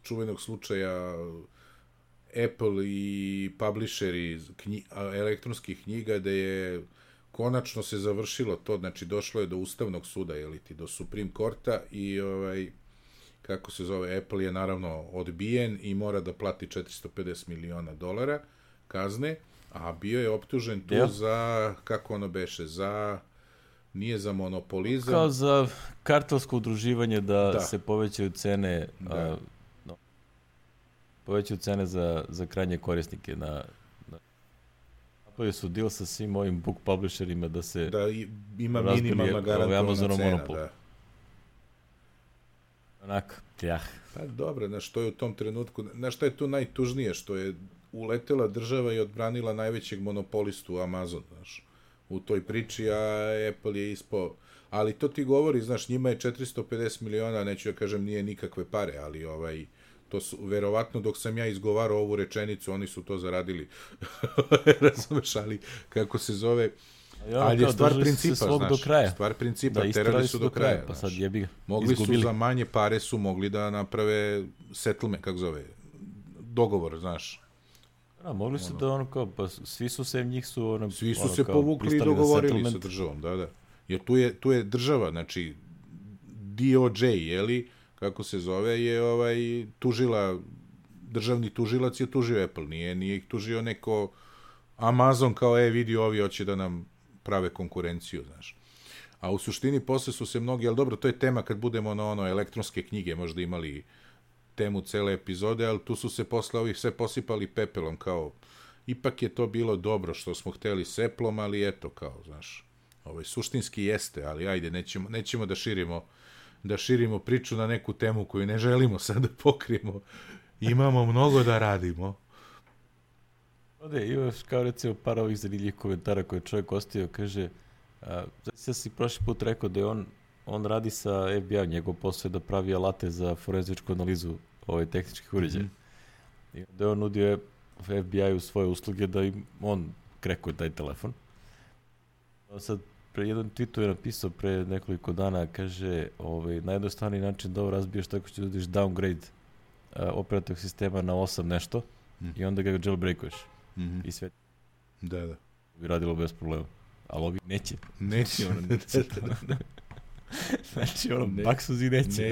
čuvenog slučaja Apple i publisheri elektronskih knjiga, da je konačno se završilo to, znači došlo je do Ustavnog suda, do Supreme Courta i kako se zove, Apple je naravno odbijen i mora da plati $450 miliona kazne, a bio je optužen tu za, kako ono beše, nije za monopolizam. Kao za kartelsko udruživanje da se povećaju cene, povećaju cene za krajnje korisnike. Napravili su deal sa svim ovim book publisherima da se ima minimalna garantovana cena. Da. Onako, Pa dobro, znaš, što je u tom trenutku, znaš što je tu najtužnije, što je uletela država i odbranila najvećeg monopolistu Amazon, znaš, u toj priči, a Apple je ispao, ali to ti govori, znaš, njima je 450 miliona, neću da kažem nije nikakve pare, ali to su, verovatno dok sam ja izgovarao ovu rečenicu, oni su to zaradili, razumeš, ali kako se zove, ali je stvar principa, znaš, stvar principa, terali su do kraja, pa sad jebi ga, mogli su za manje pare su mogli da naprave settlement, kako zove, dogovor, znaš. Mogli su da pa svi su se njih su svi su se povukli i dogovorili sa državom, da. Jer tu je država, znači DOJ, kako se zove, je državni tužilac je tužio Apple, nije ih tužio neko Amazon kao vidi ovi hoće da nam prave konkurenciju, znaš. A u suštini posle su se mnogi, ali dobro, to je tema kad budemo na ono elektronske knjige, možda imali temu cele epizode, ali tu su se posle ovih sve posipali pepelom, kao, ipak je to bilo dobro što smo hteli s Apple-om, ali eto, kao, znaš, suštinski jeste, ali ajde, nećemo da širimo priču na neku temu koju ne želimo sad da pokrijemo. Imamo mnogo da radimo. Ode, imaš kao recimo par ovih zanimljivih komentara koje čovjek ostavio, kaže, znači si prošli put rekao da je on radi sa FBI, njegov posao je da pravi alate za forenzičku analizu tehničkih uređaja. I da je on nudio FBI-u svoje usluge da im on krekuje taj telefon. Sad, jedan tweetu je napisao pre nekoliko dana, kaže, najjednostavniji način da ovo razbiješ tako što udiš downgrade operativnog sistema na 8 nešto i onda ga jailbreakuješ. I sve. Da. Bi radilo bez problema. Ali ovi neće. Neće. Znači, baksuzi neće.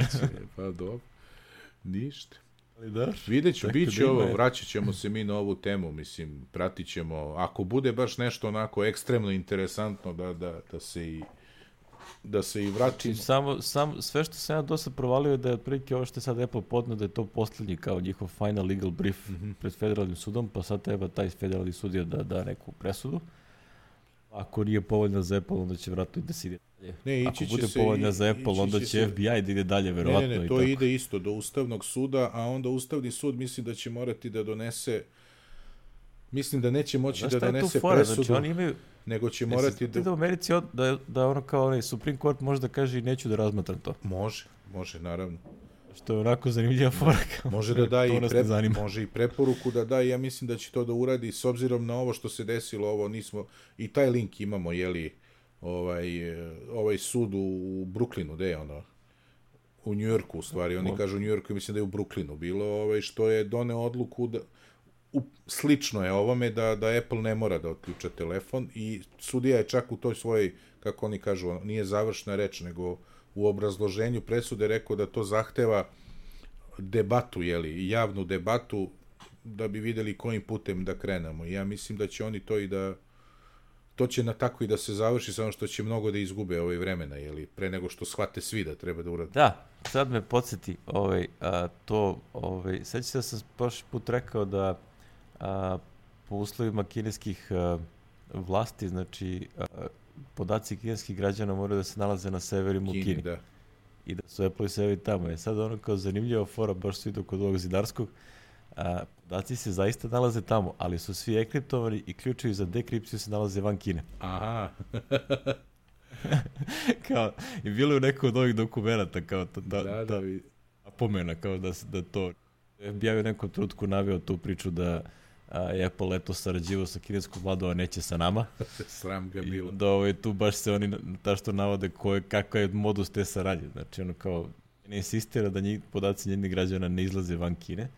Pa dobro. Ništa. Da, vidjet ću, bit će ovo, vraćat ćemo se mi na ovu temu, mislim, pratit ćemo, ako bude baš nešto onako ekstremno interesantno da se i vratim. Sve što sam ja dosad provalio je da je otprilike ovo što je sad Apple podno da je to posljednji kao njihov final legal brief pred federalnim sudom, pa sad treba taj federalni sudija da da neku presudu. Ako nije povoljna za Apple, onda će vratno i da se ide dalje. Ako bude povoljna za Apple, onda će FBI da ide dalje, verovatno. Ne, to ide isto do Ustavnog suda, a onda Ustavni sud mislim da će morati da donese, mislim da neće moći da donese presudu, znači, oni imaju, nego će morati da... u Americi da ono kao Supreme Court može da kaže i neću da razmatram to. Može, naravno. Što je onako zanimljiva fora. Može da da može i preporuku da da, ja mislim da će to da uradi s obzirom na ovo što se desilo, ovo nismo, i taj link imamo, jeli, ovaj sud u Brooklynu, gde je ono? U Njujorku, u stvari, oni kažu u Njujorku, mislim da je u Brooklynu bilo, što je doneo odluku da, slično je ovome da Apple ne mora da otključa telefon i sudija je čak u toj svojoj, kako oni kažu, nije završna reč, nego u obrazloženju presude rekao da to zahteva debatu, jeli, javnu debatu, da bi videli kojim putem da krenemo. I ja mislim da će oni to će na tako i da se završi, samo što će mnogo da izgube vremena, jeli, pre nego što shvate svi da treba da urade. Da, sad me podsjeti, sećam se da sam prošli put rekao da po uslovima kineskih vlasti, znači podaci kineskih građana moraju da se nalaze na severima u Kini. Da. I da su Apple i serveri tamo. Sad ono kao zanimljiva fora, baš su idu kod ovog Zidarskog, podaci se zaista nalaze tamo, ali su svi enkriptovani i ključevi za dekripciju se nalaze van Kine. Aha. Kao, i bilo je u neko od ovih dokumenta, kao da napomena, kao da to FBI u nekom trenutku naveo tu priču da je Apple leto sarađivao sa kineskom vladom, a neće sa nama. Sram ga bilo. Da tu baš se oni što navode kakav je modus te saradnje. Znači ono kao ne insistira da podaci njenih građana ne izlaze van Kine.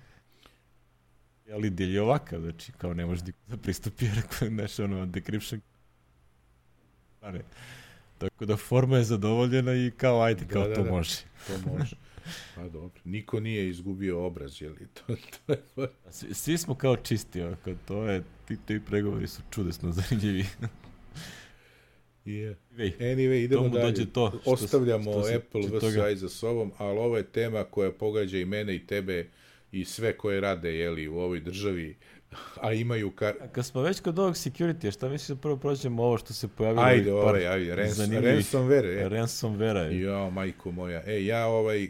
Ali del je ovakav, znači kao ne može da pristupi decryption. Tako da forma je zadovoljena i kao ajde, kao to može. To može. Pa dobro, niko nije izgubio obraz, je li to je... Svi smo kao čisti, ti pregovori su čudesno zanimljivi. Anyway, idemo dalje. Ostavljamo Apple VSI za sobom, ali ovo je tema koja pogađa i mene i tebe i sve koje rade, jeli, u ovoj državi, a imaju... Kad smo već kod ovog security, šta misliš da prvo prođemo ovo što se pojavilo? Ajde, ransomware. Ransomware. Jo, majko moja. Ja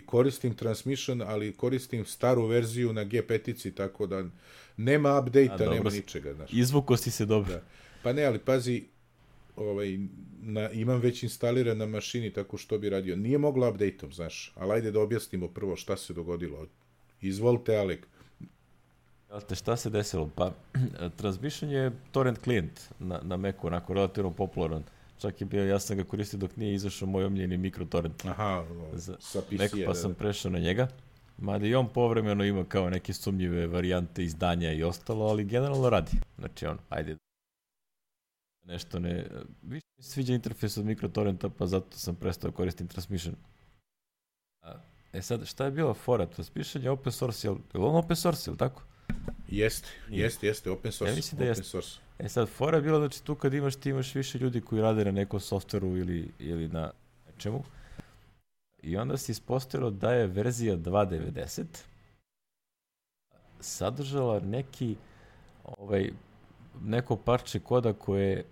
koristim Transmission, ali koristim staru verziju na G5-ici, tako da nema update-a, nema ničega. Izvuko si se dobro. Da. Pa ne, ali pazi, imam već instaliran na mašini, tako što bi radio. Nije moglo update-om, znaš, ali ajde da objasnimo prvo šta se dogodilo. Izvolite, Alek. Šta se desilo? Pa, Transmission je torrent klijent na Macu, onako relativno popularan. Čak je bio, ja sam ga koristio dok nije izašao moj omljeni mikrotorrent. Aha, sa PC-a. Mac, pa sam prešao na njega. Mada i on povremeno ima kao neke sumnjive varijante izdanja i ostalo, ali generalno radi. Znači ajde. Nešto ne... Više mi se sviđa interfejs od mikrotorrenta, pa zato sam prestao koristim Transmission. Sad, šta je bila fora? Transmission je open source, je li on open source, je li tako? Jeste, open source. Ja mislim da jeste. Sad, fora je bila, znači tu kad ti imaš više ljudi koji rade na nekom softveru ili na nečemu, i onda se ispostavilo da je verzija 2.90 sadržala neko parče koda koje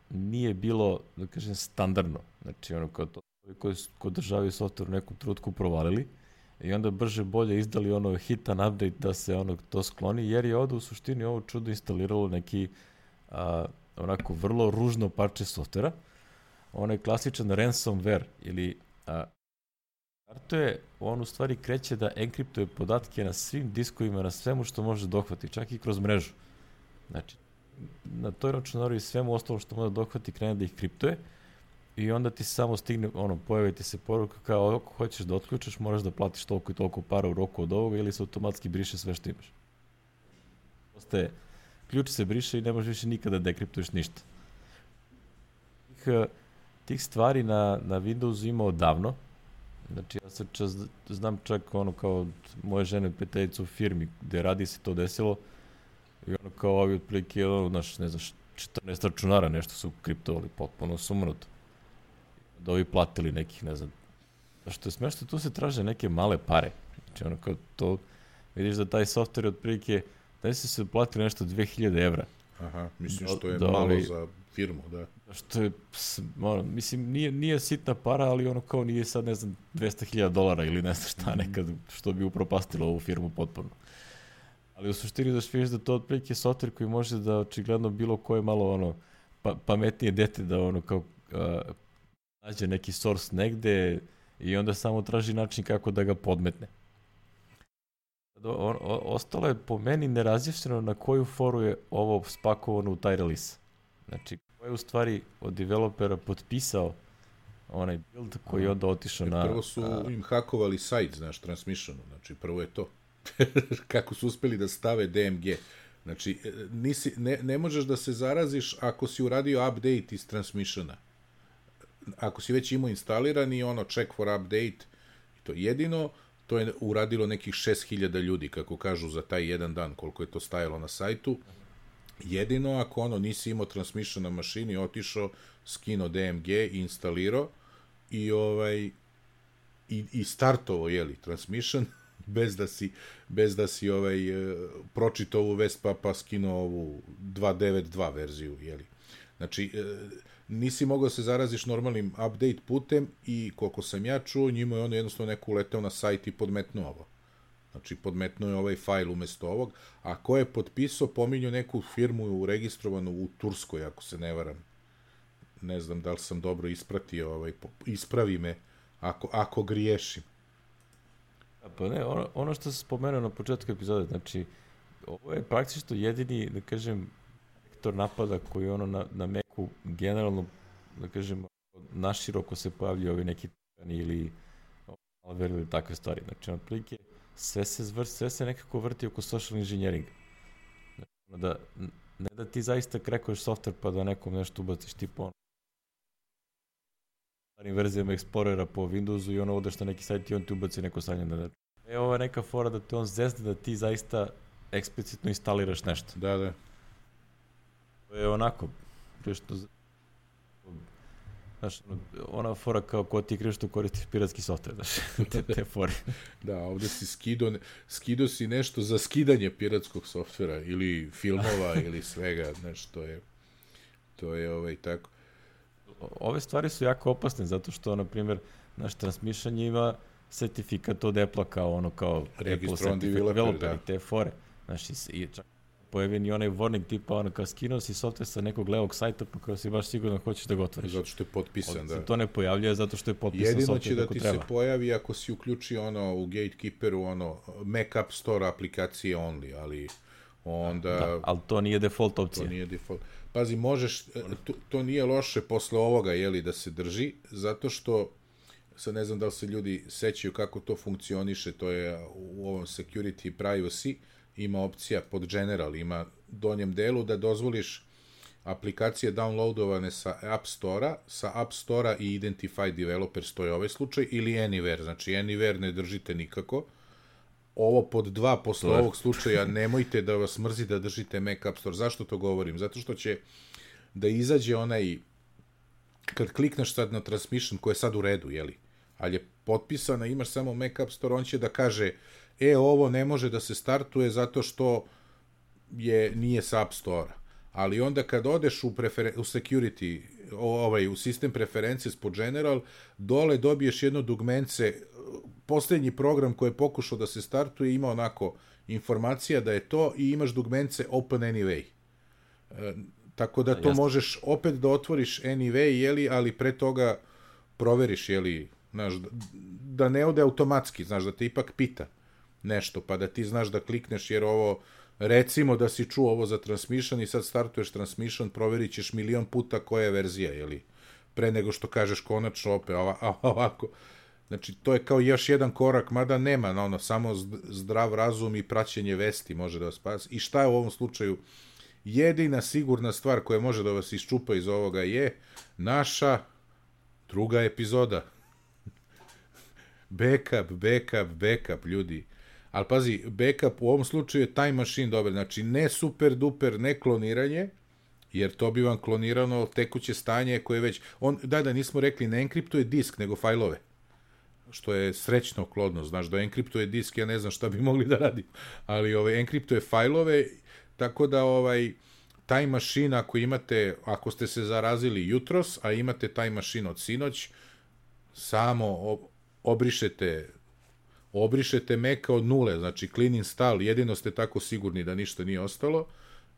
nije bilo, da kažem, standardno. Znači, ono kao to, koji održavaju software u nekom trutku provalili i onda brže bolje izdali hitan update da se to skloni, jer je ovde u suštini ovo čudo instaliralo neki onako vrlo ružno parče softvera, onaj klasičan ransomware ili kartuje, on u stvari kreće da enkriptuje podatke na svim diskovima, na svemu što može dohvati, čak i kroz mrežu. Znači, na toj računaru i svemu ostalom što može dohvati krene da ih kriptuje i onda ti samo stigne, pojavi ti se poruka kao ako hoćeš da otključaš, moraš da platiš toliko i toliko para u roku od ovoga ili se automatski briše sve što imaš. Ključ se briše i ne možeš više nikada dekriptuješ ništa. Tih stvari na Windowsu ima odavno. Znači, ja sad znam čak kao od moje žene prijateljice u firmi gde radi se to desilo i kao ovi otprilike, ne znam, 14 računara nešto su kriptovali, potpuno sumnuto. Da ovi platili nekih, ne znam. Što je smešno, tu se traže neke male pare. Znači, kao to, vidiš da taj software je otprilike, da se platili nešto 2000 evra. Aha, mislim što je malo za firmu, da. Što je, mislim, nije sitna para, ali kao nije sad, ne znam, $200,000 ili ne znam šta nekad, što bi upropastilo ovu firmu potpuno. Ali u suštini da vidiš da to otprilike software koji može da očigledno bilo koje malo pametnije dete da kao nađe neki source negde i onda samo traži način kako da ga podmetne. Ostalo je po meni nerazjašnjeno na koju foru je ovo spakovano u taj release. Znači, ko je u stvari od developera potpisao onaj build koji je onda otišao na... Prvo su im hakovali sajt, znaš, Transmissionu, znači prvo je to. Kako su uspeli da stave DMG. Znači, ne možeš da se zaraziš ako si uradio update iz Transmissiona. Ako si već imao instaliran i check for update, to jedino, to je uradilo nekih 6000 ljudi, kako kažu, za taj jedan dan, koliko je to stajalo na sajtu. Jedino ako nisi imao Transmission na mašini, otišao, skinuo DMG i instalirao i startovao, Transmission, bez da si pročitao ovu vest pa skinuo ovu 2.9.2 verziju, Znači, nisi mogao da se zaraziš normalnim update putem i koliko sam ja čuo, njima je jednostavno neko uleteo na sajt i podmetnuo ovo. Znači, podmetnuo je ovaj fajl umesto ovog, a ko je potpisao, pominju neku firmu registrovanu u Turskoj, ako se ne varam. Ne znam da li sam dobro ispratio, ispravi me ako griješim. Pa ne, ono što se spomenuo na početku epizode, znači, ovo je praktično jedini, da kažem, vektor napada koji na Macu generalno, da kažem, naširoko se pojavljaju ovi neki ili malware ili takve stvari. Znači, otprilike, sve se nekako vrti oko social engineeringa. Znači, ne da ti zaista krekuješ software pa da nekom nešto ubaciš tipa starim verzijama Explorera po Windowsu i odeš na neki sajt i on ti ubaci neko sranje. Ovo je neka fora da te on zezne da ti zaista eksplicitno instaliraš nešto. Da. To je onako, znaš, ona fora kao ko ti kriš što koristiš piratski software, znaš, te fore. Da, ovde si skido si nešto za skidanje piratskog softvera ili filmova ili svega, znaš, to je tako. Ove stvari su jako opasne, zato što, na primjer, naš Transmission ima sertifikat od Apple-a kao Apple developer, da. I te fore. Znaš, i čak pojavi ni onaj warning tipa, kao skinuo si software sa nekog levog sajta, pa kao si baš sigurno hoćeš da ga otvoriš. Zato što je potpisan, da. To ne pojavljuje zato što je potpisan jedino software kako treba. Jedino će da ti se pojavi ako si uključi u Gatekeeperu, Mac App Store aplikacije only, ali onda... Da, ali to nije default opcija. To nije default. Pazi, možeš, to nije loše posle ovoga, da se drži, zato što, sad ne znam da li se ljudi sećaju kako to funkcioniše, to je u ovom security privacy, ima opcija pod general, ima donjem delu da dozvoliš aplikacije downloadovane sa App Store-a i Identified Developers, to je ovaj slučaj, ili Anywhere, znači Anywhere ne držite nikako, ovo pod 2 posle ovog slučaja, nemojte da vas mrzi da držite Mac App Store. Zašto to govorim? Zato što će da izađe onaj, kad klikneš sad na transmission, koji je sad u redu, jeli, ali je potpisana, imaš samo Mac App Store, on će da kaže, ovo ne može da se startuje zato što nije sa App Store-a. Ali onda kad odeš u security, u sistem preferencije po general, dole dobiješ jedno dugmence, posljednji program koji je pokušao da se startuje ima onako informacija da je to i imaš dugmence open anyway. Tako da to možeš opet da otvoriš anyway, jeli, ali pre toga proveriš, jeli, znaš, da ne ode automatski, znaš, da te ipak pita nešto, pa da ti znaš da klikneš, jer ovo, recimo da si čuo ovo za transmission i sad startuješ transmission, proverit ćeš milion puta koja je verzija, jeli, pre nego što kažeš konačno opet, ovako. Znači, to je kao još jedan korak, mada nema, samo zdrav razum i praćenje vesti može da vas spasi. I šta je u ovom slučaju? Jedina sigurna stvar koja može da vas iščupa iz ovoga je naša druga epizoda. Backup, ljudi. Ali pazi, backup u ovom slučaju je Time Machine dobar, znači ne super duper, ne kloniranje, jer to bi vam klonirano tekuće stanje koje već... nismo rekli, ne enkriptuje disk, nego fajlove. Što je srećno klodno, znaš, da enkriptuje disk, ja ne znam šta bi mogli da radim, ali enkriptuje fajlove, tako da Time Machine, ako ste se zarazili jutros, a imate Time Machine od sinoć, samo obrišete Maca od nule, znači clean install, jedino ste tako sigurni da ništa nije ostalo,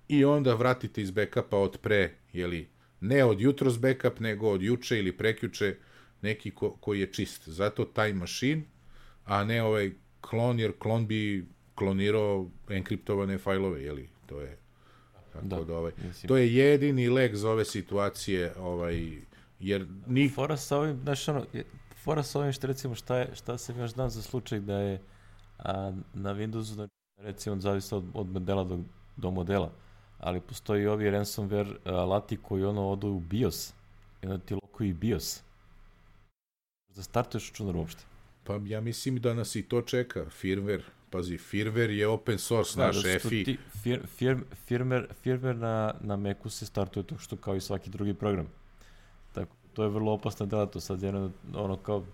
i onda vratite iz backupa od pre, jeli, ne od jutros backup, nego od juče ili prekjuče, neki koji je čist. Zato Time Machine, a ne klon, jer klon bi klonirao enkriptovane fajlove, jeli, to je tako da to je jedini lek za ove situacije, jer fora sa ovim, znaš, fora sa ovim što recimo šta se još dan za slučaj da je na Windowsu, recimo, zavisi od modela do modela, ali postoji ovi ransomware alati koji odu u BIOS i onda ti lokuju BIOS da startuješ računar uopšte. Pa ja mislim da nas i to čeka, firmware. Pazi, firmware je open source, naš EFI. Firmware na Macu se startuje to što kao i svaki drugi program. Tako, to je vrlo opasna delatnost. Sad kao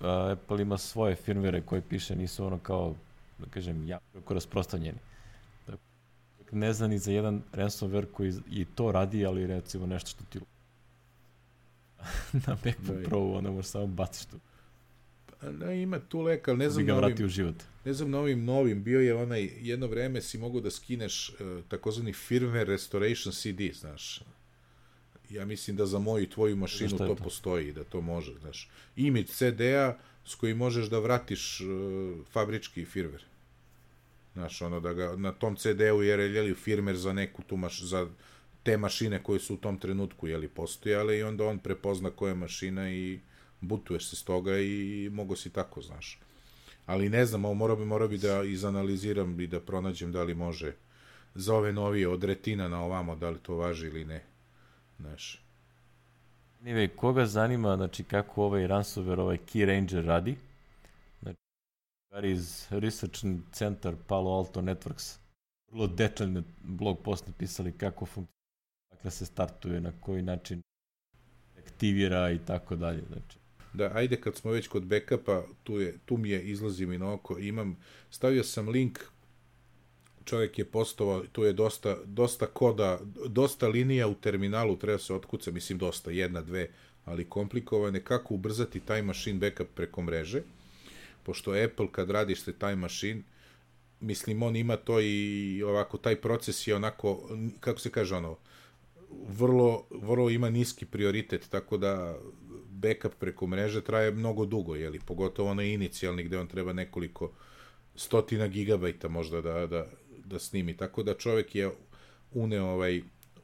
Apple ima svoje firmware koje piše, nisu kao, da kažem, jako rasprostranjeni. Tako, ne znam ni za jedan ransomware koji i to radi, ali recimo nešto što ti na MacBook Pro, onda možeš samo baciš tu. Ima tu lek, ali ne znam na ovim novim, bio je jedno vreme si mogu da skineš takozvani firmware restoration CD, znaš. Ja mislim da za moju i tvoju mašinu to postoji, da to može, znaš. Image CD-a s kojim možeš da vratiš fabrički firmware. Znaš, da ga na tom CD-u je firmware za neku tu za te mašine koje su u tom trenutku, postojale, i onda on prepozna koja je mašina i butuješ se s toga i mogo si tako, znaš. Ali ne znam, morao bi da izanaliziram i da pronađem da li može za ove novije od Retina na ovamo, da li to važi ili ne. Znaš. Koga zanima, znači, kako ovaj ransomware, Key Ranger radi, znači, iz Research Center Palo Alto Networks, vrlo detaljno blog post napisali kako funkcionira, dakle se startuje, na koji način aktivira i tako dalje, znači. Da, ajde, kad smo već kod backupa, tu mi izlazi mi na oko, stavio sam link, čovjek je postovao, tu je dosta koda, dosta linija u terminalu, treba se otkuca, mislim dosta, 1, 2, ali komplikovane, kako ubrzati Time Machine backup preko mreže, pošto Apple kad radiš se Time Machine, mislim, on ima to i ovako, taj proces je onako, kako se kaže, vrlo ima niski prioritet, tako da backup preko mreže traje mnogo dugo, pogotovo onaj inicijalni gde on treba nekoliko stotina gigabajta možda da snimi, tako da čovjek je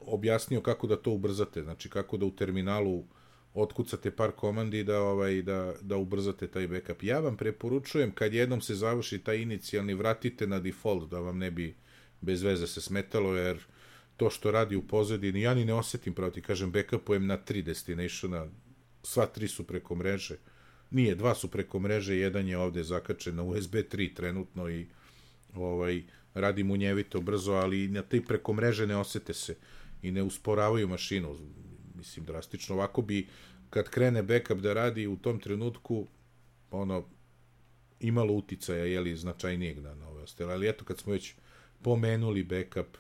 objasnio kako da to ubrzate, znači kako da u terminalu otkucate par komandi da ubrzate taj backup. Ja vam preporučujem, kad jednom se završi taj inicijalni, vratite na default, da vam ne bi bez veze se smetalo, jer to što radi u pozadini, ja ni ne osjetim, pravo ti kažem, backupujem na 3 destinationa, sva 3 su preko mreže, nije, dva su preko mreže, jedan je ovde zakačen na USB 3 trenutno i radi munjevito brzo, ali na te preko mreže ne osete se i ne usporavaju mašinu, mislim, drastično. Ovako bi, kad krene backup da radi u tom trenutku, imalo uticaja, jeli, značajnijeg na ove ostale. Ali eto, kad smo već pomenuli backup,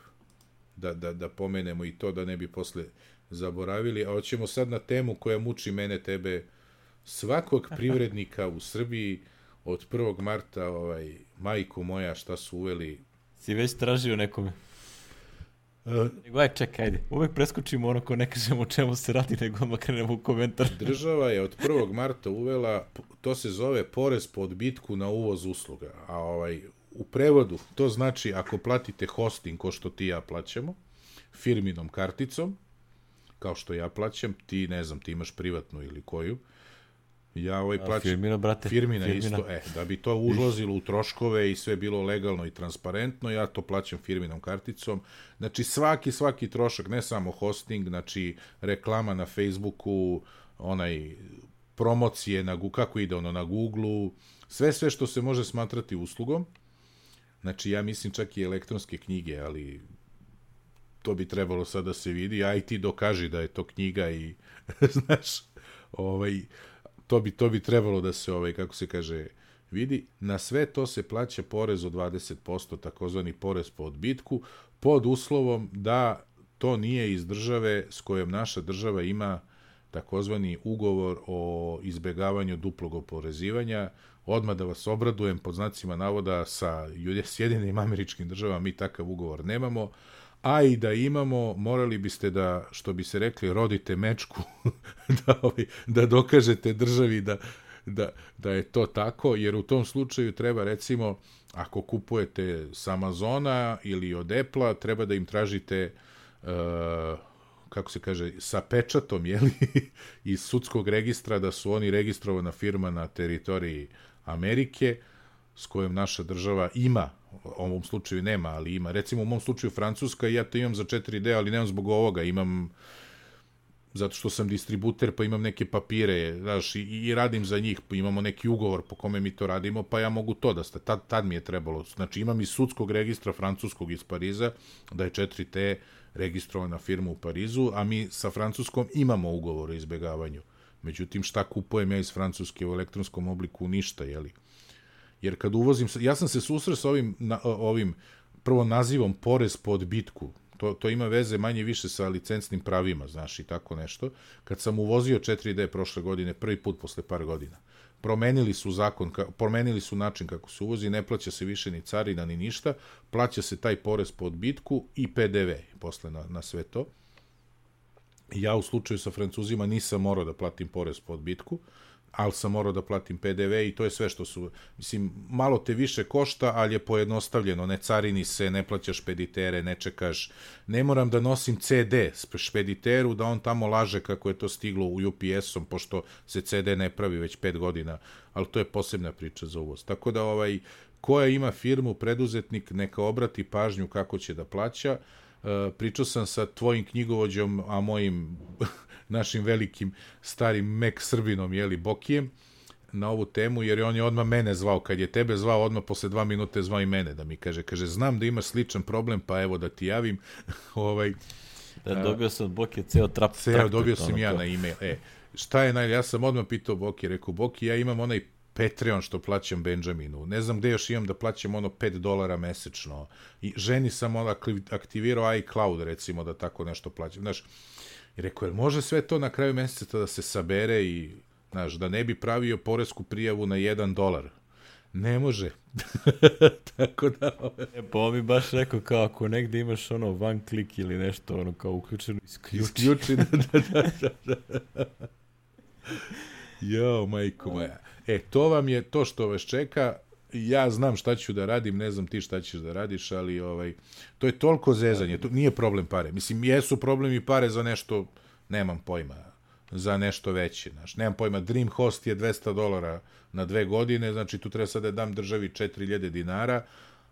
da pomenemo i to, da ne bi posle zaboravili. A hoćemo sad na temu koja muči mene, tebe, svakog privrednika u Srbiji od 1. marta, majko moja, šta su uveli. Si već tražio nekome? Čekaj, ajde. Uvek preskočimo ono ko ne kažemo o čemu se radi, nego odmah krenemo u komentar. Država je od 1. marta uvela, to se zove porez po odbitku na uvoz usluga. A u prevodu, to znači ako platite hosting, ko što ti ja plaćamo, firminom karticom, kao što ja plaćam, ti, ne znam, ti imaš privatnu ili koju, ja plaćam... Firmina, brate. Firmina isto, da bi to ulazilo u troškove i sve bilo legalno i transparentno, ja to plaćam firminom karticom. Znači, svaki trošak, ne samo hosting, znači, reklama na Facebooku, promocije, kako ide na Googleu, sve što se može smatrati uslugom. Znači, ja mislim čak i elektronske knjige, ali to bi trebalo sad da se vidi, a i ti dokaži da je to knjiga i, znaš, to bi trebalo da se, kako se kaže, vidi. Na sve to se plaća porez od 20%, takozvani porez po odbitku, pod uslovom da to nije iz države s kojom naša država ima takozvani ugovor o izbegavanju duplog oporezivanja. Odmah da vas obradujem, pod znacima navoda, sa Sjedinim Američkim Državama mi takav ugovor nemamo, a i da imamo, morali biste da, što bi se rekli, rodite mečku, da dokažete državi da je to tako, jer u tom slučaju treba, recimo, ako kupujete s Amazona ili od Apple-a, treba da im tražite, kako se kaže, sa pečatom, jeli, iz sudskog registra, da su oni registrovana firma na teritoriji Amerike, s kojom naša država ima, u ovom slučaju nema, ali ima. Recimo, u mom slučaju Francuska, ja to imam za 4D, ali nemam zbog ovoga, imam zato što sam distributer, pa imam neke papire, znaš, i radim za njih, pa imamo neki ugovor po kome mi to radimo, pa ja mogu to da tad mi je trebalo. Znači, imam iz sudskog registra francuskog iz Pariza, da je 4T registrovana firma u Parizu, a mi sa Francuskom imamo ugovor o izbegavanju. Međutim, šta kupujem ja iz Francuske u elektronskom obliku? Ništa, jeli? Jer kad uvozim, ja sam se susreo sa ovim prvo nazivom porez po odbitku, to ima veze manje više sa licencnim pravima, znaš, i tako nešto. Kad sam uvozio 4D prošle godine, prvi put posle par godina, promenili su način kako se uvozi, ne plaća se više ni carina ni ništa, plaća se taj porez po odbitku i PDV posle na sve to. Ja u slučaju sa Francuzima nisam morao da platim porez po odbitku, ali sam morao da platim PDV i to je sve što su, mislim, malo te više košta, ali je pojednostavljeno, ne carini se, ne plaćaš špeditere, ne čekaš, ne moram da nosim CD špediteru, da on tamo laže kako je to stiglo u UPS-om, pošto se CD ne pravi već 5 godina, ali to je posebna priča za uvoz. Tako da, koja ima firmu, preduzetnik, neka obrati pažnju kako će da plaća. Pričao sam sa tvojim knjigovođom, a mojim našim velikim starim Mek Srbinom, jeli, Bokijem, na ovu temu, jer on je odmah mene zvao. Kad je tebe zvao, odmah posle 2 minute zvao i mene da mi kaže, znam da imaš sličan problem, pa evo da ti javim. Dobio sam od Bokije ceo traktor. Dobio sam ja na e-mail. Šta je ja sam odmah pitao Bokije, rekao, Boki, ja imam onaj Patreon što plaćam Benjaminu, ne znam gde još imam da plaćam $5 mesečno, i ženi sam aktivirao iCloud, recimo, da tako nešto plaćam, znaš, i rekao, jer može sve to na kraju meseca da se sabere i, znaš, da ne bi pravio poresku prijavu na $1? Ne može. Tako da... Pa on mi baš rekao, kao ako negde imaš one click ili nešto, kao uključeno, isključi. Da. Jo, majko moja. To vam je to što vas čeka. Ja znam šta ću da radim, ne znam ti šta ćeš da radiš, ali to je toliko zezanje, to nije problem pare. Mislim, jesu problemi pare za nešto, nemam pojma, za nešto veće. Znaš, nemam pojma, DreamHost je $200 na 2 godine, znači tu treba sad da dam državi 4.000 dinara,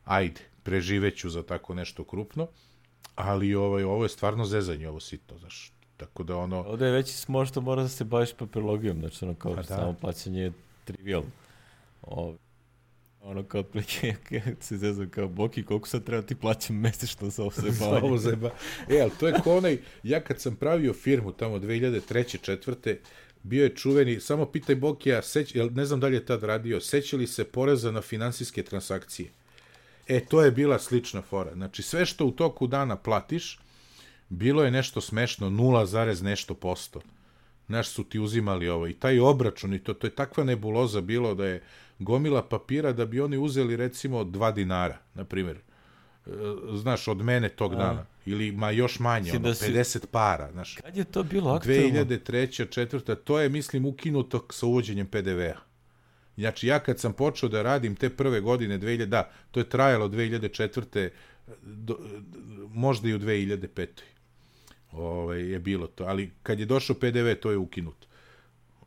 ajde, preživeću za tako nešto krupno, ali ovo je stvarno zezanje, ovo sitno, znaš. Tako da ovdje je veći smor što mora da se baviš papirologijom, znači kao samo plaćanje trivial. Ono kao otprilike, se zezam kao, Boki, koliko sad treba ti plaćam mesečno za ovo zajebavanje? Ali to je ko onaj, ja kad sam pravio firmu tamo 2003. 4. bio je čuveni, samo pitaj Bokija, ne znam da li je tad radio, sećali se poreza na finansijske transakcije. To je bila slična fora. Znači, sve što u toku dana platiš, bilo je nešto smešno, 0, nešto %. Znaš, su ti uzimali ovo. I taj obračun, i to je takva nebuloza bilo da je gomila papira da bi oni uzeli, recimo, 2 dinara, na primjer. Znaš, od mene tog dana. Ili još manje, 50 para. Znaš. Kad je to bilo aktualno? 2003. 4. To je, mislim, ukinuto sa uvođenjem PDV-a. Znači, ja kad sam počeo da radim te prve godine, to je trajalo 2004. Možda i u 2005. Je bilo to. Ali kad je došao PDV, to je ukinuto.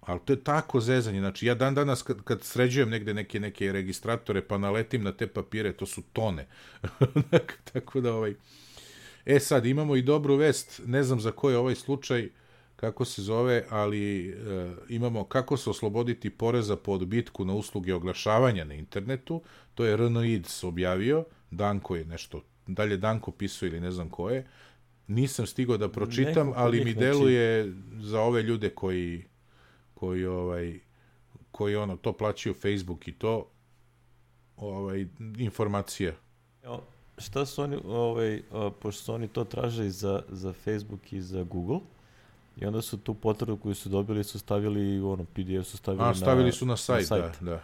Ali to je tako zezanje. Znači, ja dan danas kad sređujem negde neke registratore, pa naletim na te papire, to su tone. Tako da, sad, imamo i dobru vest, ne znam za koji je ovaj slučaj, kako se zove, ali imamo kako se osloboditi poreza po odbitku na usluge oglašavanja na internetu, to je RNIDS objavio, Danko je nešto, dalje Danko pisao ili ne znam ko je, nisam stigao da pročitam, ali mi deluje za ove ljude koji to plaćaju Facebook i to informacija. Šta su oni, pošto su oni to traže za Facebook i za Google, i onda su tu potvrdu koju su dobili su stavili PDF su stavili su na sajt. Da.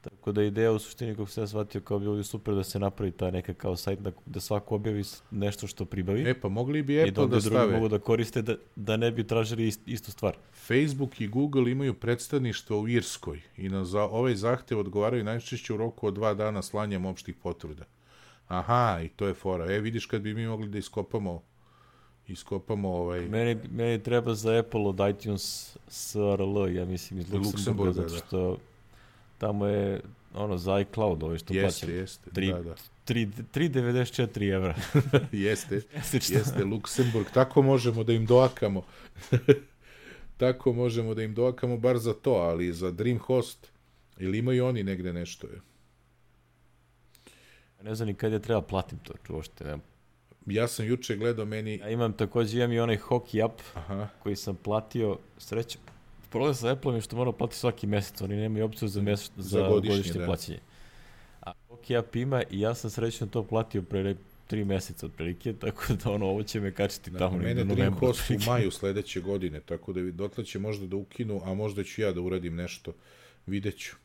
Tako da ideja u suštini, kako sam ja shvatio, kao bilo bi super da se napravi ta neka kao sajt da svako objavi nešto što pribavi. Pa mogli bi Apple da stave. I da drugi mogu da koriste da ne bi tražili istu stvar. Facebook i Google imaju predstavništvo u Irskoj i na ovaj zahtev odgovaraju najčešće u roku od 2 dana slanjem opštih potvrda. Aha, i to je fora. Vidiš kad bi mi mogli da iskopamo Meni treba za Apple od iTunes SRL, ja mislim iz Luksemburga, zato što tamo je za iCloud, što plaćam. Jeste. 3,94 evra. Jeste, Luksemburg. Tako možemo da im doakamo. Bar za to, ali za DreamHost, ili imaju oni negde nešto? Ne znam ni kad je treba platim to, uopšte nema. Ja sam juče gledao Ja imam i onaj Hockey app koji sam platio, srećem. Problem sa Apple-om je što moram platiti svaki mesec, oni nemaju opciju za godišnje plaćanje. A Hockey app ima i ja sam srećno to platio pre 3 meseca otprilike, tako da ovo će me kačiti tamo. Mene DreamHost u maju sledeće godine, tako da dotle će možda da ukinu, a možda ću ja da uradim nešto, vidjet ću.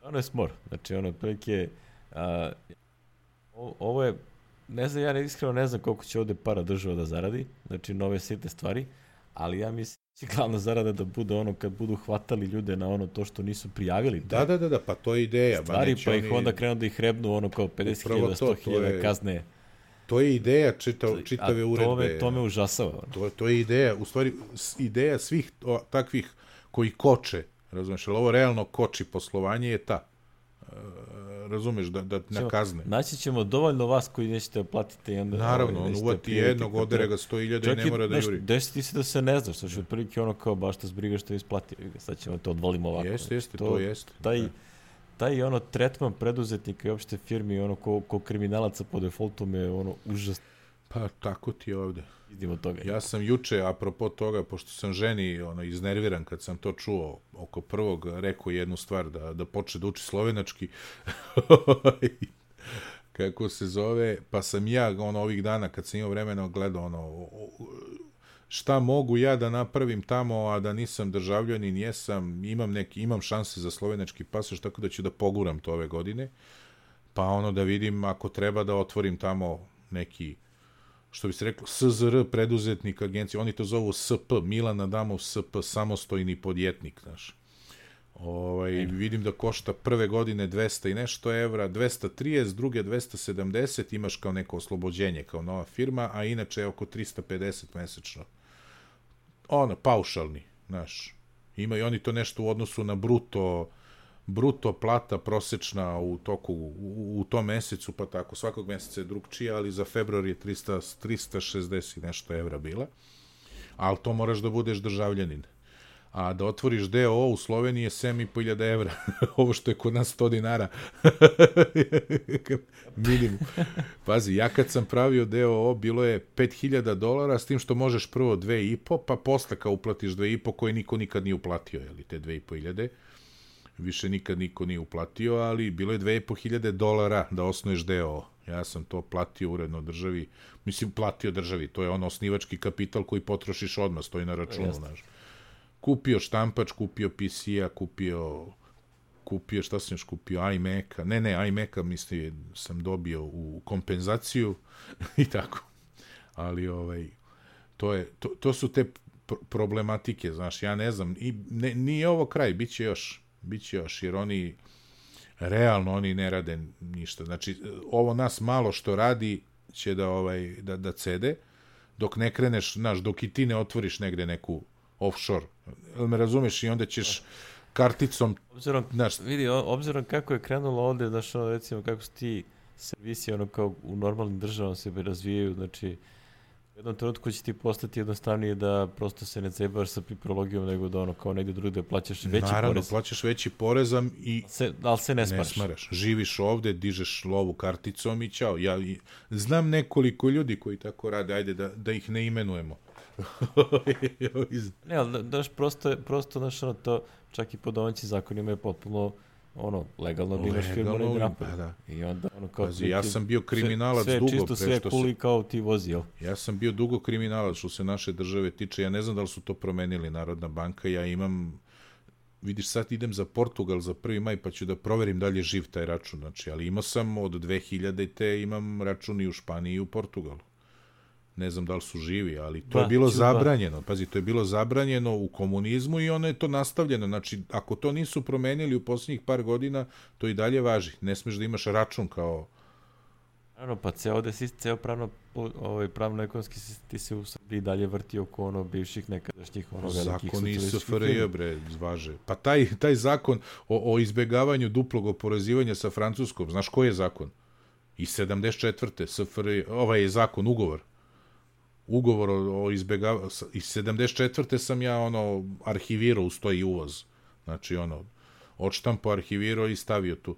Ono je smor, znači otprilike... Ovo je, ne znam, ja iskreno ne znam koliko će ovde para država da zaradi, znači nove sitne stvari, ali ja mislim da će glavna zarada da bude kad budu hvatali ljude na to što nisu prijavili. Da, pa to je ideja. Stvari, pa ih onda krenu da ih rebnu kao 50.000, 100.000 kazne. To je ideja čitave uredbe. To me užasava. To je ideja, u stvari, ideja svih takvih koji koče, razumeš, ali ovo realno koči poslovanje je ta. Razumeš, da na kazne. Naći ćemo dovoljno vas koji nećete platiti. Naravno, on uvati jednog, odere ga 100.000 i ne mora da juri. Desi ti se da se ne znaš, što je otprilike kao baš te zbriga što je isplatio. Sad ćemo to odvolimo ovako. Jeste, to jeste. Taj tretman preduzetnika i opšte firmi, ko kriminalaca po defaultu me užasno. Pa tako ti je ovde. Idimo toga. Ja sam juče, apropo toga, pošto sam ženi iznerviran kad sam to čuo oko prvog, rekao jednu stvar, da počne da uči slovenački. Kako se zove, pa sam ja ovih dana kad sam imao vremena gledao šta mogu ja da napravim tamo, a da nisam državljanin, imam šanse za slovenački pasoš, tako da ću da poguram to ove godine, pa da vidim ako treba da otvorim tamo neki, što bi se reklo, SZR, preduzetnik agencija, oni to zovu SP, Milan Adamov SP, samostojni podjetnik, znaš. Vidim da košta prve godine 200 i nešto evra, 230, druge 270, imaš kao neko oslobođenje, kao nova firma, a inače je oko 350 mesečno. Paušalni, znaš. Imaju oni to nešto u odnosu na bruto plata prosečna u tom mesecu, pa tako, svakog meseca je drugčije, ali za februar je 360 nešto evra bila, ali to moraš da budeš državljanin. a da otvoriš DOO u Sloveniji je 7.500 evra. Ovo što je kod nas 100 dinara. Minimum. Pazi, ja kad sam pravio DOO, bilo je $5.000, s tim što možeš prvo 2.500, pa posle kao uplatiš 2.500, koje niko nikad nije uplatio, jeli, te 2.500. Više nikad niko nije uplatio, ali bilo je $2.500 da osnuješ DOO. Ja sam to platio uredno državi, mislim platio državi, to je ono osnivački kapital koji potrošiš odmah, stoji na računu, znaš. Kupio štampač, kupio PC-a, kupio, šta sam još kupio, iMac-a, ne, iMac-a mislim sam dobio u kompenzaciju i tako. Ali to su te problematike, znaš, ja ne znam, nije ovo kraj, bit će još, jer oni realno ne rade ništa. Znači, ovo nas malo što radi će da cede, dok ne kreneš, znaš, dok i ti ne otvoriš negde neku offshore. Me razumeš, i onda ćeš karticom... Obzirom kako je krenulo ovde, znaš, recimo, kako su ti servisi, kao u normalnim državama se razvijaju, znači, u jednom trenutku će ti postati jednostavnije da prosto se ne cebaš sa papirologijom, nego da kao negde drugde plaćaš veći porez. Naravno, plaćaš veći porez, ali se ne smaraš. Živiš ovde, dižeš lovu karticom i ćao. Ja znam nekoliko ljudi koji tako rade, ajde da ih ne imenujemo. Ne, ali daš prosto naš to, čak i po domaćim zakonima je potpuno legalno da imaš firmu negdje napad. I onda kao... Pazi, ja sam bio kriminalac dugo. Sve čisto, sve kuli kao ti vozi, jel? Ja sam bio dugo kriminalac što se naše države tiče. Ja ne znam da li su to promenili Narodna banka. Ja imam... Vidiš, sad idem za Portugal za 1. maj, pa ću da proverim da li je živ taj račun. Znači, ali imao sam od 2000-te imam račun i u Španiji i u Portugalu. Ne znam da li su živi, ali to je bilo zabranjeno. Pazi, to je bilo zabranjeno u komunizmu i ono je to nastavljeno. Znači, ako to nisu promenili u posljednjih par godina, to i dalje važi. Ne smeš da imaš račun kao... Pa ceo pravno-ekonomski sistem ti se u Srbiji dalje vrti oko bivših nekadašnjih velikih zakon i SFRJ, bre, važe. Pa taj zakon o izbegavanju duplog oporezivanja sa Francuskom, znaš koji je zakon? Iz 74. SFRJ, ovaj je zakon, ugovor o izbegavanju, iz 74. sam ja arhivirao uz to i uvoz. Znači odštampo, arhivirao i stavio tu.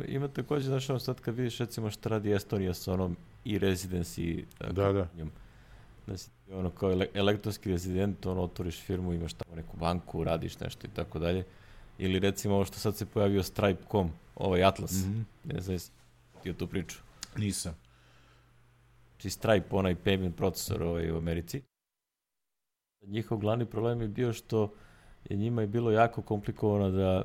Ima također, znaš, sad kad vidiš recimo šta radi Estonija sa i residency. Da. Znači, kao elektronski rezident, otvoriš firmu, imaš tamo neku banku, radiš nešto i tako dalje. Ili recimo ovo što sad se pojavio Stripe.com, Atlas. Ne znam, ti o tu priču. Nisam. Znači Stripe, onaj payment procesor u Americi. Njihov glavni problem je bio što je njima je bilo jako komplikovano da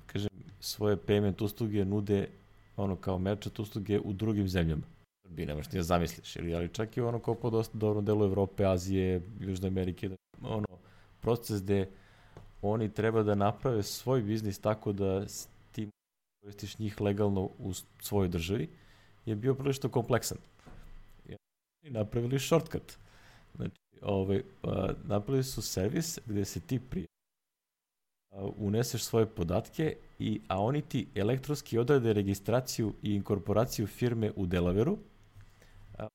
kažem, svoje payment usluge nude kao merchant usluge u drugim zemljama. Bi nemaš ni da zamisliš, ali čak i kao po dosta dobrom delu Evrope, Azije, Južne Amerike, proces gde oni treba da naprave svoj biznis tako da ti koristiš njih legalno u svojoj državi, je bio prilično kompleksan. I napravili shortcut. Znači, napravili su servis gde se ti uneseš svoje podatke, a oni ti elektronski odrade registraciju i inkorporaciju firme u Delaveru,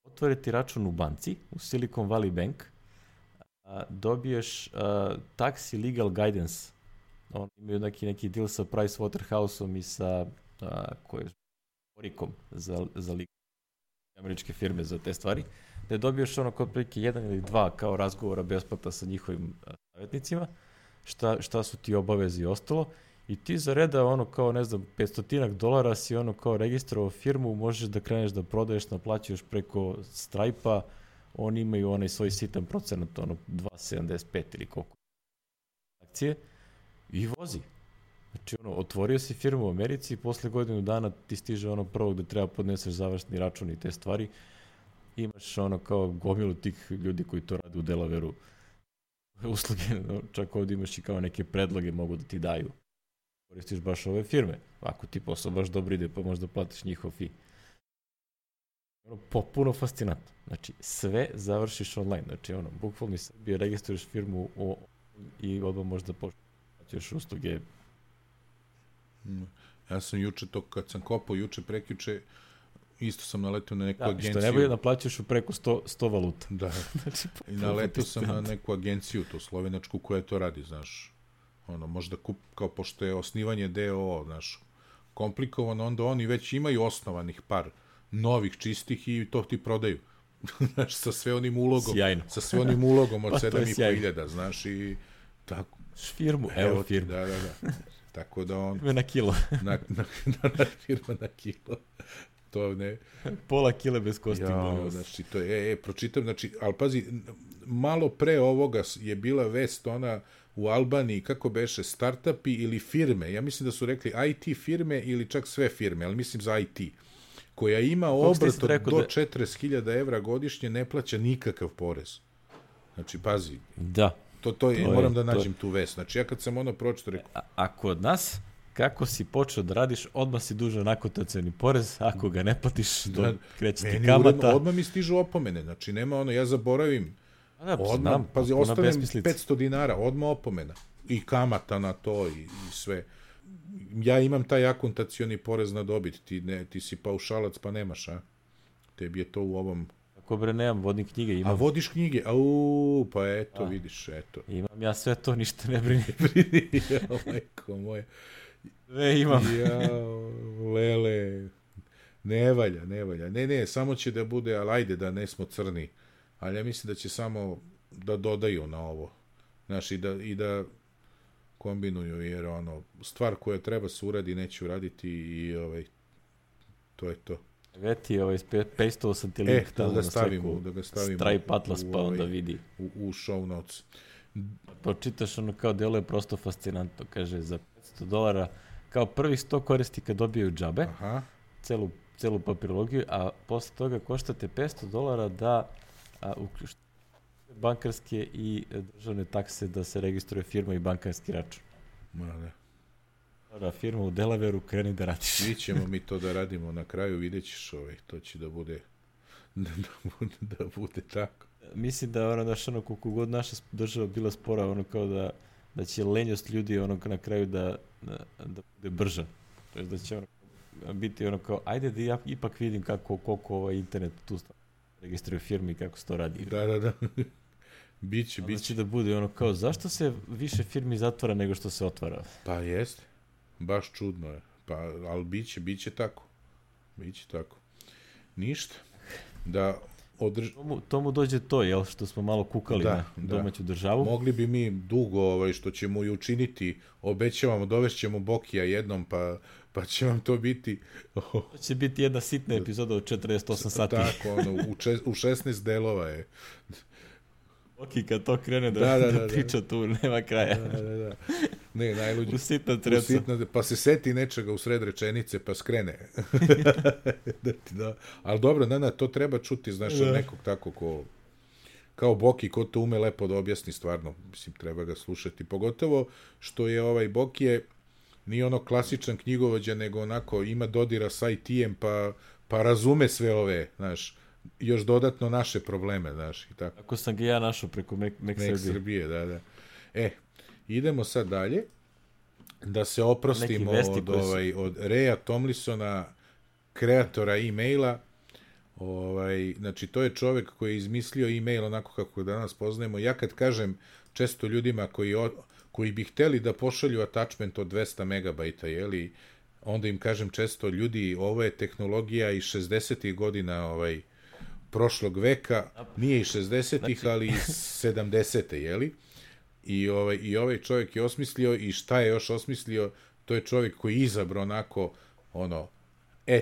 otvore ti račun u banci, u Silicon Valley Bank, dobiješ tax i legal guidance. Oni imaju neki deal sa Pricewaterhouseom i sa Oricom za legal američke firme za te stvari, da dobiješ kod prilike 1 ili 2 kao razgovora besplatna sa njihovim savjetnicima, šta su ti obavezi i ostalo, i ti za reda kao, ne znam, $500 si kao registrovao firmu, možeš da kreneš da prodaješ, naplaćuješ preko Stripe-a, oni imaju onaj svoj sitan procenat, 2,75 ili koliko akcije, i vozi. Znači, otvorio si firmu u Americi i posle godinu dana ti stiže prvog da treba podneseš završni račun i te stvari. Imaš kao gomilu tih ljudi koji to rade u Delaveru usluge, čak ovdje imaš i kao neke predloge mogu da ti daju. Koristiš baš ove firme. Ako ti posao baš dobro ide, pa možda platiš njihov fee. Popuno fascinantno. Znači, sve završiš online. Znači, bukvalno iz Srbije registruješ firmu i odmah možda plaćaš usluge. Ja sam juče to, kad sam kopao, juče, prekjuče, isto sam naletio na neku Da, agenciju. što najbolje naplaćaš u preko 100 valuta. Da, Znači, i naletio sam na neku agenciju, to slovenačku, koja to radi, znaš. Ono, možda kao pošto je osnivanje DOO, znaš, komplikovano, onda oni već imaju osnovanih par novih čistih i to ti prodaju. Znaš, sa sve onim ulogom. Sjajno. Sa sve onim ulogom od Pa, to je 7.500, znaš, i tako. Firmu, evo firmu. Da. Tako da on... Na kilo. na firma na kilo. To ne... Pola kile bez kosti. Znači, to je, pročitam, znači, ali pazi, malo pre ovoga je bila vest ona u Albaniji, kako beše, startupi ili firme, ja mislim da su rekli IT firme ili čak sve firme, ali mislim za IT, koja ima obrt do 40.000 evra godišnje, ne plaća nikakav porez. Znači, pazi. Da. To je, moram da nađem tu vest. Znači, ja kad sam ono pročito rekao... A kod nas, kako si počeo da radiš, odmah si dužan akotacioni porez, ako ga ne platiš, kreće ti kamata. Odmah mi stižu opomene, znači nema ono, ja zaboravim, odmah, pazi, ostanem 500 dinara, odmah opomena. I kamata na to i sve. Ja imam taj akontacioni porez na dobit, ti si paušalac pa nemaš, a? Tebi je to u ovom... Ako bre, nemam, vodne knjige imam. A vodiš knjige? Pa eto, vidiš, eto. Imam ja sve to, ništa ne brini. Majko moje. Sve imam. Lele, ne valja. Ne, samo će da bude, ali ajde da ne smo crni. Ali ja mislim da će samo da dodaju na ovo. Znaš, i da kombinuju, jer ono, stvar koja treba se uradi, neće uraditi i to je to. Veti, pastao sam ti link tamo da ga stavimo Stripe Atlas, pa onda vidi. U show notes. Pročitaš ono kao delo je prosto fascinantno, kaže za $500, kao prvih 100 korisnika dobiju džabe, celu papirologiju, a posle toga koštate $500 da uključite bankarske i državne takse da se registruje firma i bankarski račun. Da, firma u Delaveru, kreni da radiš. Mi ćemo mi to da radimo na kraju, vidjet ćeš to će da bude da bude tako. Mislim da koliko god naša država bila spora, kao da će lenjost ljudi na kraju da bude brža. To je da će biti kao, ajde da ja ipak vidim koliko internet tu registruje firmi i kako se to radi. Da. Biće. Znači da bude kao, zašto se više firmi zatvara nego što se otvara? Pa jeste. Baš čudno je. Ali biće tako. Biće tako. Ništa. To mu dođe to, jel? Što smo malo kukali na domaću državu. Mogli bi mi dugo, što ćemo i učiniti, obećavamo, dovešćemo Bokija jednom, pa će vam to biti... To će biti jedna sitna epizoda od 48 sati. Tako, u 16 delova je. Boki kad to krene da priča tu, nema kraja. Da. Ne, najluđe. U sitna treca. Pa se seti nečega u sred rečenice, pa skrene. Ali dobro, to treba čuti, znaš, od nekog tako kao Boki, ko to ume lepo da objasni stvarno. Mislim, treba ga slušati. Pogotovo što je Boki nije ono klasičan knjigovođa, nego onako ima dodira sa IT-em, pa razume sve ove, znaš, još dodatno naše probleme, znaš, i tako. Ako sam ga ja našao preko Mac Srbije, da. Idemo sad dalje, da se oprostimo od Reja Tomlinsona, kreatora e-maila. Znači, to je čovjek koji je izmislio e-mail onako kako ga danas poznajemo. Ja kad kažem često ljudima koji bi hteli da pošalju attachment od 200 megabajta, jeli, onda im kažem često, ljudi, ovo je tehnologija iz 60. godina prošlog veka, nije iz 60-ih, ali iz 70. jeli? I ovaj čovjek je osmislio, i šta je još osmislio, to je čovjek koji je izabrao onako,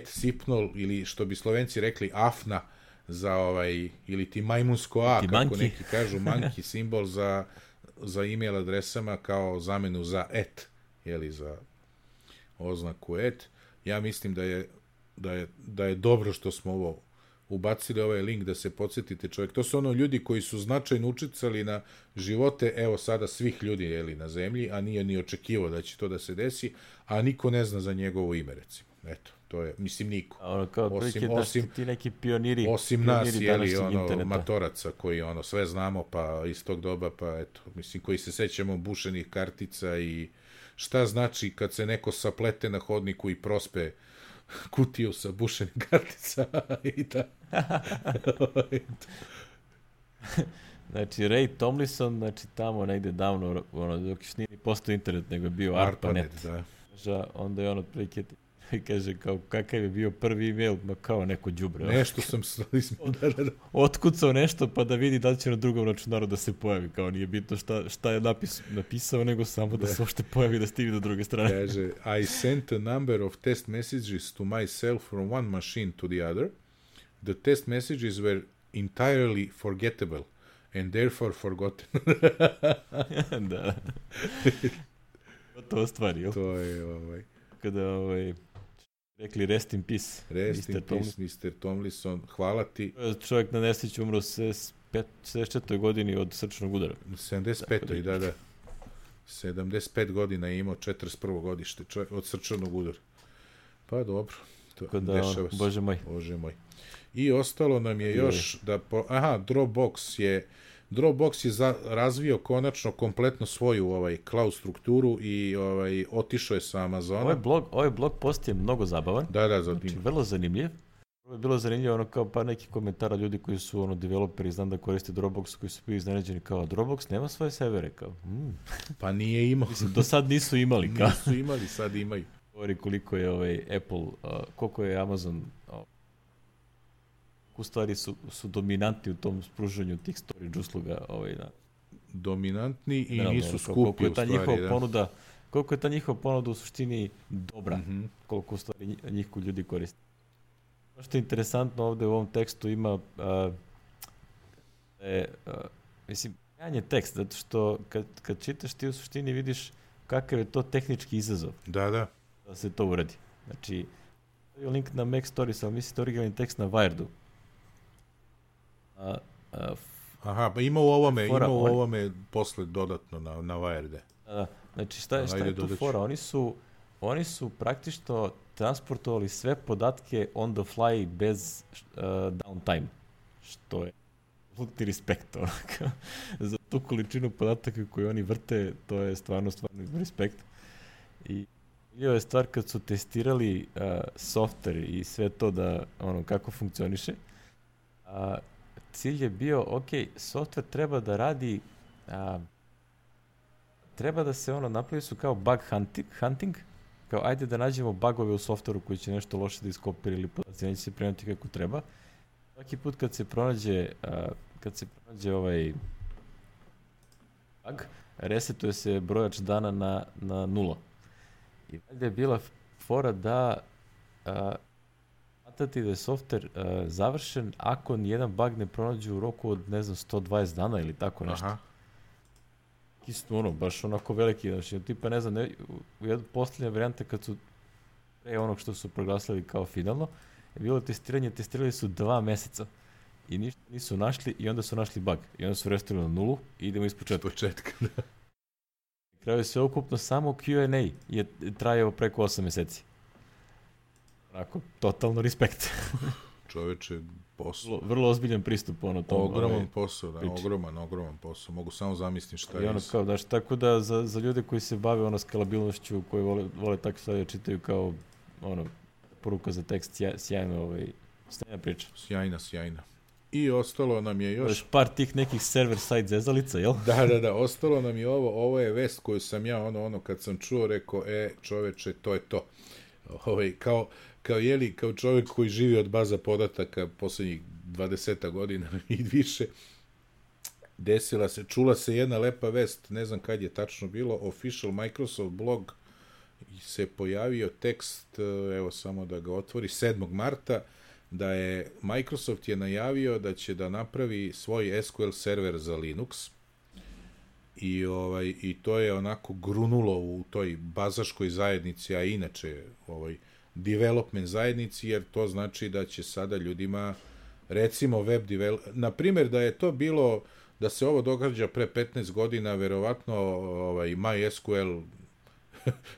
sipnol, ili što bi Slovenci rekli, afna, za ili ti majmunsko a, kako neki kažu, monkey simbol za e-mail adresama kao zamenu za jeli, za oznaku Ja mislim da je dobro što smo ovo ubacili, ovaj link, da se podsjetite čovjek. To su ljudi koji su značajno učicali na živote, evo sada, svih ljudi, jeli, na zemlji, a nije ni očekivao da će to da se desi, a niko ne zna za njegovo ime, recimo. Eto, to je, mislim, niko. Osim ti neki pioniri. Osim nas, jeli, matoraca koji, sve znamo, pa iz tog doba, pa eto, mislim, koji se sećamo bušenih kartica i šta znači kad se neko saplete na hodniku i prospe kutiju sa bušenim karticama i da... Znači, Ray Tomlinson, znači tamo negde davno, ono, dok još nije postao internet, nego je bio ARPANET. Da. Onda je on otprilike i kaže kao kakav je bio prvi email, ma kao neko đubre. Nešto sam otkucao nešto pa da vidi da li će na drugom računaru da se pojavi, kao nije bitno šta je napisao, nego samo da se uopšte pojavi da stivi do druge strane. Kaže, I sent a number of test messages to myself from one machine to the other. The test messages were entirely forgettable and therefore forgotten. Da. To stvari, jel? To je, Kada, rekli rest in peace. Rest in peace, Mr. Tomlinson. Hvala ti. Čovjek na nesreću umro u 74. godini od srčnog udara. 75. Da. 75 godina je imao, 41. godište od srčanog udara. Pa dobro. Tako da, Bože moj. I ostalo nam je još da... Dropbox je razvio konačno kompletno svoju cloud strukturu i otišao je sa Amazona. Ovaj blog post je mnogo zabavan. Da, znači, vrlo zanimljiv. Je bilo zanimljivo kao par nekih komentara ljudi koji su developeri, znam da koriste Dropbox, koji su bili iznenađeni kao Dropbox nema svoje servere, kao. Pa nije imao. Mislim, do sad nisu imali. Kao. Nisu imali, sad imaju. Govori koliko je Apple, koliko je Amazon u stvari su dominantni u tom spružanju tih storage usluga. Dominantni i nisu skupi u stvari. Koliko je ta njihova ponuda u suštini dobra, koliko u stvari njih ljudi koriste. Ono što je interesantno ovde u ovom tekstu ima mislim, je tekst, zato što kad čitaš ti u suštini vidiš kakav je to tehnički izazov. Da se to uradi. Znači, link na Mac Stories, ali mislite originalni tekst na Wiredu. Aha, pa ima u ovome posle dodatno na Wired. Znači, šta je tu fora? Oni su praktično transportovali sve podatke on the fly bez downtime, što je ulti respekt. Za tu količinu podataka koju oni vrte, to je stvarno respekt. I je stvar kad su testirali software i sve to da kako funkcioniše, cilj je bio, software treba da radi, treba da se napravi su kao bug hunting, kao ajde da nađemo bugove u softveru koji će nešto loše da iskopira ili podaci neće se prenuti kako treba. Svaki put kad se pronađe bug, resetuje se brojač dana na 0. I valjda je bila fora da smatrati da je softver završen ako nijedan bug ne pronađe u roku od, 120 dana ili tako nešto. Aha. Baš onako veliki, znači, tipa, u jednu posljednja varijanta kad su pre onog što su proglasili kao finalno, je bilo testirali su 2 meseca i ništa nisu našli i onda su našli bug. I onda su restartirali na 0 i idemo iz početka. Na kraju sve ukupno samo Q&A je trajao preko 8 meseci. Onako, totalno respekt. Čoveče, posao. Vrlo ozbiljan pristup, ogroman posao, da, ogroman posao. Mogu samo zamisliti šta je. Tako da za ljude koji se bave skalabilnošću, koji vole takve stvari čitaju kao poruka za tekst, sjajna priča. Sjajna. I ostalo nam je još... Par tih nekih server-side zezalica, jel? Da, ostalo nam je ovo je vest koju sam ja kad sam čuo rekao, čoveče, to je to. Kao čovjek koji živi od baza podataka posljednjih 20 godina i više, čula se jedna lepa vest, ne znam kad je tačno bilo, official Microsoft blog se pojavio tekst, evo samo da ga otvori, 7. marta, da je Microsoft je najavio da će da napravi svoj SQL server za Linux i to je onako grunulo u toj bazaškoj zajednici, a inače development zajednici, jer to znači da će sada ljudima, recimo web development, na primjer da je to bilo, da se ovo događa pre 15 godina, verovatno MySQL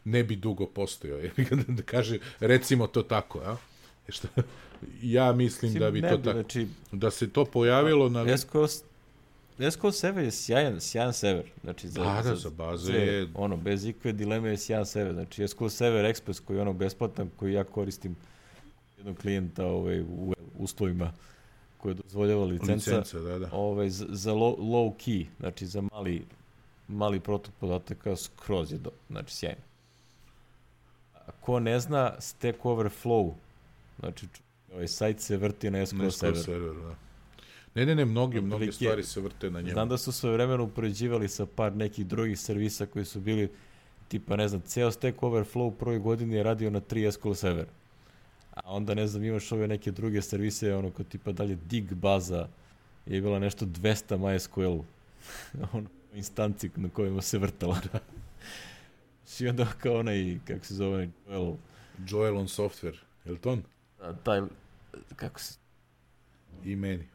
ne bi dugo postojao, da kaže, recimo to tako, ja? Ja mislim da bi to tako, da se to pojavilo na... SQL server je sjajan server. Znači, za baze je... bez ikve dileme je sjajan server. Znači, SQL server Express koji je besplatan, koji ja koristim jednog klijenta u uslovima koje dozvoljava licenca da. Za low key, znači za mali protok podataka skroz je znači sjajno. Ko ne zna, Stack Overflow, znači sajt se vrti na SQL serveru. Da. Ne, mnoge stvari se vrte na njemu. Znam da su sve vremena upoređivali sa par nekih drugih servisa koji su bili, tipa, ne znam, ceo Stack Overflow u prvoj godini je radio na 3 SQL servera. A onda, ne znam, imaš ove neke druge servise, ono kao tipa dalje Dig baza je bila nešto 200 MySQL instanci na kojima se vrtala. I onda kao onaj, kako se zove, Joel on Software, je li to on? Taj, kako se... I meni.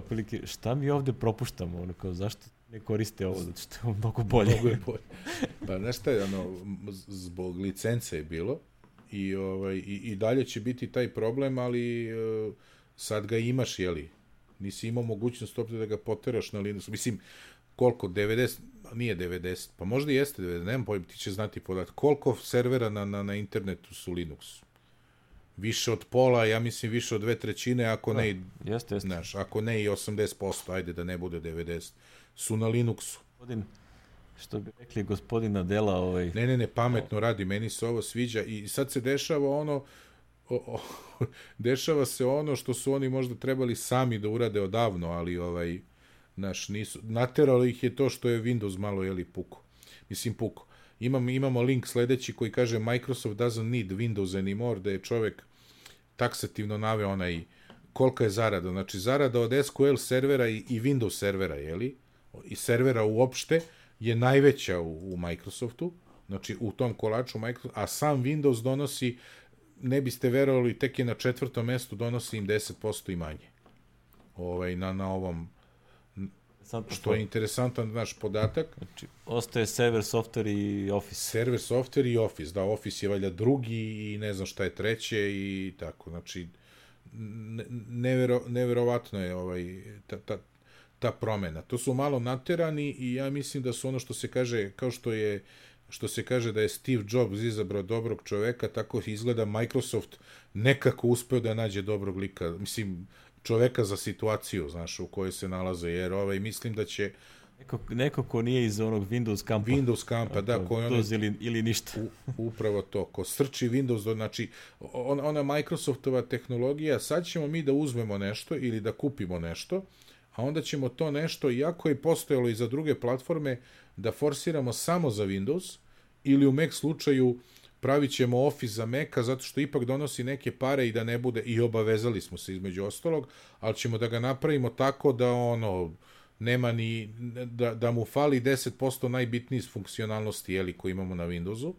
Prilike, šta mi ovde propuštamo, ono kao, zašto ne koriste ovo, zato što je mnogo bolje. Mnogo je bolje. Pa znaš šta je, zbog licence je bilo i dalje će biti taj problem, ali sad ga imaš, jeli? Nisi imao mogućnost uopšte da ga poteraš na Linuxu. Mislim, koliko? 90? Nije 90, pa možda i jeste 90, nemam pojma, ti će znati podatak. Koliko servera na internetu su Linuxu? Više od pola, ja mislim više od 2/3, ako ne, jeste. Znaš, ako ne i 80%, ajde da ne bude 90, su na Linuxu. Što bi rekli gospodin Adela, Ne, pametno radi, meni se ovo sviđa i sad se dešava dešava se ono što su oni možda trebali sami da urade odavno, ali nisu, nateralo ih je to što je Windows malo, puko. Mislim, puko. Imamo link sledeći koji kaže Microsoft doesn't need Windows anymore, da je čovek taksativno naveo kolika je zarada. Znači, zarada od SQL servera i Windows servera, i servera uopšte, je najveća u Microsoftu, znači u tom kolaču Microsoft, a sam Windows donosi, ne biste verovali, tek je na 4. mestu, donosi im 10% i manje. Na ovom, što je interesantan naš podatak. Znači, ostaje server, software i Office. Server, software i Office, da, Office je valjda drugi i ne znam šta je treće i tako, znači, neverovatno je ta promena. To su malo naterani i ja mislim da su ono što se kaže, kao što se kaže da je Steve Jobs izabrao dobrog čoveka, tako izgleda Microsoft nekako uspeo da nađe dobrog lika, mislim, čoveka za situaciju, znaš, u kojoj se nalaze, jer mislim da će... Neko ko nije iz onog Windows kampa, da, ko je ili ništa. Upravo to, ko srči Windows, znači, ona Microsoftova tehnologija, sad ćemo mi da uzmemo nešto ili da kupimo nešto, a onda ćemo to nešto, iako je postojalo i za druge platforme, da forsiramo samo za Windows, ili u Mac slučaju pravit ćemo Office za Maca, zato što ipak donosi neke pare i da ne bude, i obavezali smo se između ostalog, ali ćemo da ga napravimo tako da nema ni, da mu fali 10% najbitnijih funkcionalnosti, koji imamo na Windowsu.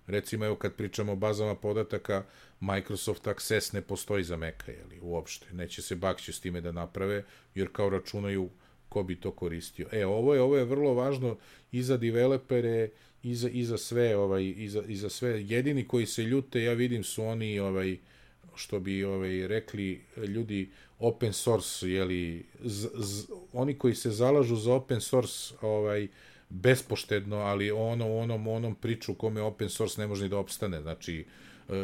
Recimo, evo kad pričamo o bazama podataka, Microsoft Access ne postoji za Maca, uopšte. Neće se bakći s time da naprave, jer kao računaju ko bi to koristio. Ovo je vrlo važno i za developere, i za sve, i za sve. Jedini koji se ljute, ja vidim, su oni, što bi rekli ljudi, open source, oni koji se zalažu za open source, bespoštedno, ali onom priču kome open source ne može ni da opstane, znači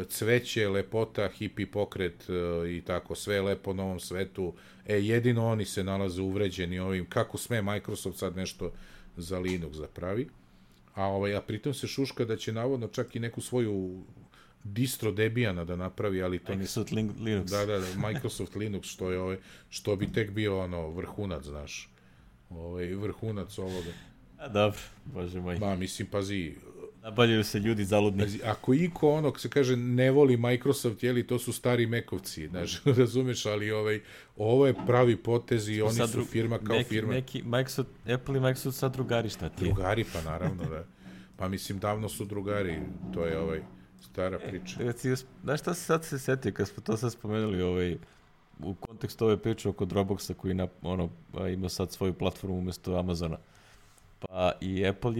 cveće, lepota, hippie pokret i tako, sve je lepo na ovom svetu, jedino oni se nalaze uvređeni ovim, kako sme Microsoft sad nešto za Linux da pravi, a pritom se šuška da će navodno čak i neku svoju distro Debiana da napravi, ali to Microsoft Linux. Da, Microsoft Linux, što bi tek bio vrhunac, znaš, vrhunac ovoga. A dobro, bože moj. Mislim, pazi, nabavljaju se ljudi zaludni. Ako iko se kaže ne voli Microsoft, to su stari Mekovci, znaš, razumeš, ali ovo je pravi potez i oni su firma kao firma. Apple i Microsoft sad drugari, šta ti je? Drugari, pa naravno, da. Pa mislim, davno su drugari, to je stara priča. Znaš šta se sad se setio, kad smo to sad spomenuli, u kontekstu ove priče oko Dropboxa koji ima sad svoju platformu umjesto Amazona. Pa i Apple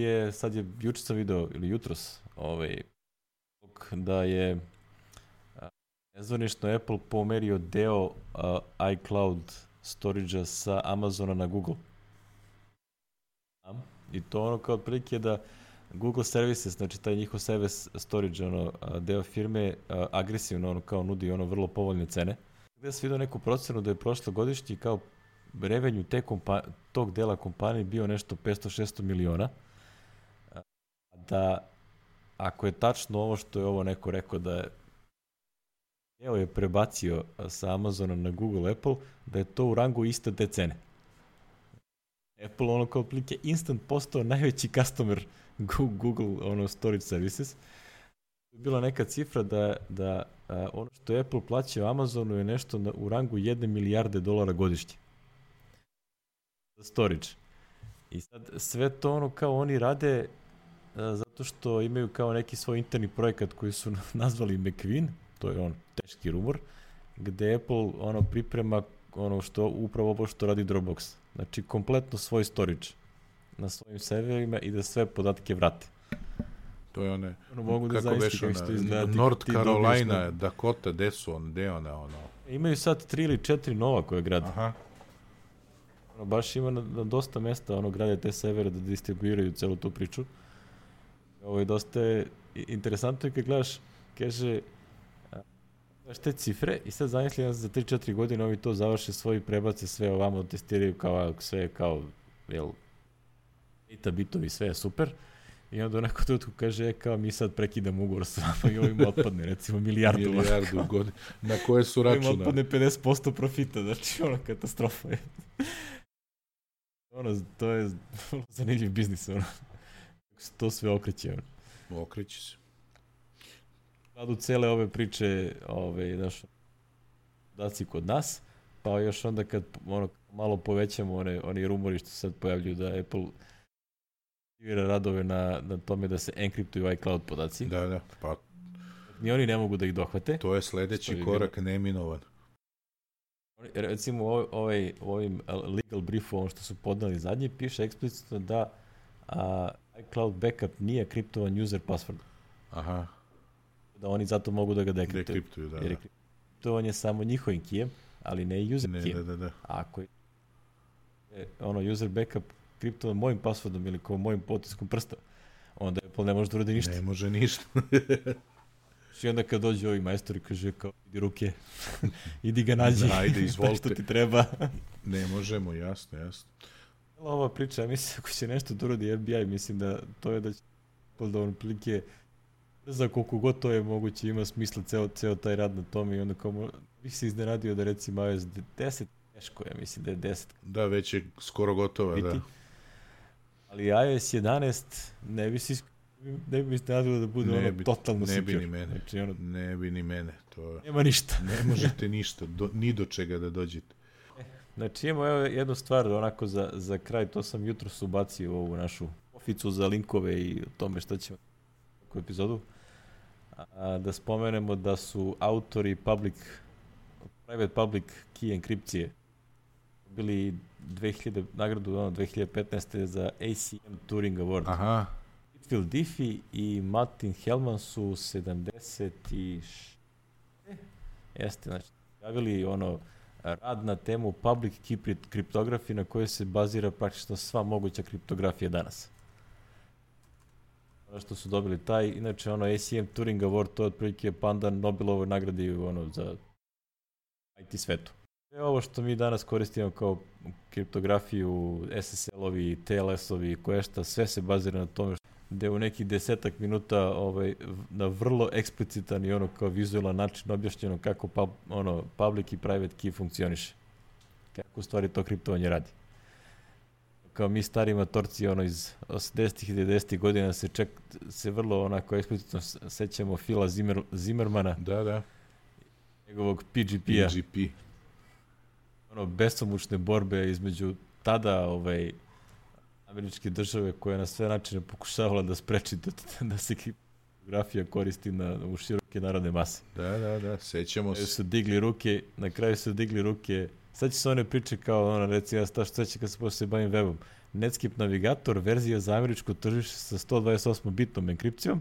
juče sam video, ili jutros, da je nezvanično Apple pomerio deo iCloud storage-a sa Amazona na Google. I to kao otprilike da Google Services, znači taj njihov service storage, deo firme, agresivno, kao nudi, vrlo povoljne cene. Gde sam vidio neku procenu da je prošlogodišnji kao revenju tog dela kompanije bio nešto 500-600 miliona. Da, ako je tačno ovo što je ovo neko rekao da je prebacio sa Amazona na Google, Apple, da je to u rangu iste te cene. Apple kao otprilike instant postao najveći customer Google storage services. Bila neka cifra da ono što je Apple plaćao Amazonu je nešto u rangu 1 milijarde dolara godišnje za storage. I sad sve to kao oni rade zato što imaju kao neki svoj interni projekat koji su nazvali McQueen, to je teški rumor, gde Apple priprema upravo ovo što radi Dropbox. Znači kompletno svoj storage na svojim serverima i da sve podatke vrate. To je one, mogu da kako veš ona, North Carolina, Dakota, gde je ona? Imaju sad 3 ili 4 nova koje grade. Aha. Baš ima na dosta mesta grade te servere da distribuiraju celu tu priču. Ovo je dosta interesantno kad gledaš, kaže, gledaš te cifre i sad zamisli za 3-4 godine ovi to završe svoji, prebace sve ovamo, testiraju sve kao, eta bitovi, sve je super. I onda u nekom trenutku kaže, kao mi sad prekidamo ugovor s vama i ovim otpadne, recimo milijardu godina, na koje su računa. Ovim otpadne 50% profita, znači katastrofa je. To je zanimljiv biznis, to sve okreće. Okreće se. Radu cele ove priče, podaci kod nas, pa još onda kad malo povećamo oni rumori što sad pojavljuju da Apple aktivira radove na tome da se enkriptuju iCloud podaci. Da, pa ni oni ne mogu da ih dohvate. To je sledeći korak neminovan. Recimo u ovim legal briefu, što su podali zadnji, piše eksplicitno da iCloud backup nije kriptovan user password. Aha. Da oni zato mogu da ga dekriptuju. Jer kriptovan je samo njihovim kijem, ali ne user kijem. Da. Ako je user backup kriptovan mojim passwordom ili kao mojim potiskom prsta, onda Apple ne može da uradi ništa. Ne može ništa. I onda kad dođe ovi majstori kaže kao idi ruke, idi ga nađi, ajde, izvolite. što ti treba. Ne možemo, jasno. Ova priča, mislim, ako će nešto da uradi FBI, mislim da to je da će da prilike za koliko god to je moguće ima smisla ceo taj rad na tome i onda kao bih se iznenadio da recimo iOS 10, teško ja mislim da je 10. Da, već je skoro gotova, biti. Da. Ali iOS 11 ne bi se nadalo da bude totalno secure. Ne bi ni mene. Znači, ne bi ni mene. To... Nema ništa. Ne možete ništa, ni do čega da dođete. Znači imamo jednu stvar onako za kraj, to sam jutros ubacio u ovu našu oficu za linkove i o tome šta ćemo u epizodu. Da spomenemo da su autori private public key enkripcije bili nagradu 2015. za ACM Turing Award. Aha. Phil Diffie i Martin Hellman su 76. Jeste, znači, javili rad na temu public key kriptografije na kojoj se bazira praktično sva moguća kriptografija danas. Što su dobili taj, inače ACM Turing Award, to je otprilike pandan Nobelovoj nagradi za IT svetu. Sve ovo što mi danas koristimo kao kriptografiju, SSL-ovi, TLS-ovi, koješta, sve se bazira na tome gde u nekih 10 minuta na vrlo eksplicitan i kao vizualan način objašnjeno kako public i private key funkcioniše. Kako u stvari to kriptovanje radi. Kao mi stari matorci iz 80-ih i 90-ih godina se vrlo onako eksplicitno sećamo Phila Zimmermana. Da. Njegovog PGP-a. Besomučne borbe između tada američke države koja je na sve načine pokušavala da spreči da se kriptografija koristi u široke narodne mase. Da, sećamo se. Na kraju su digli ruke. Sad će se one priče kao, recimo, što seća kad se počne bavim webom. Netscape Navigator, verzija za američko tržište sa 128-bitnom enkripcijom,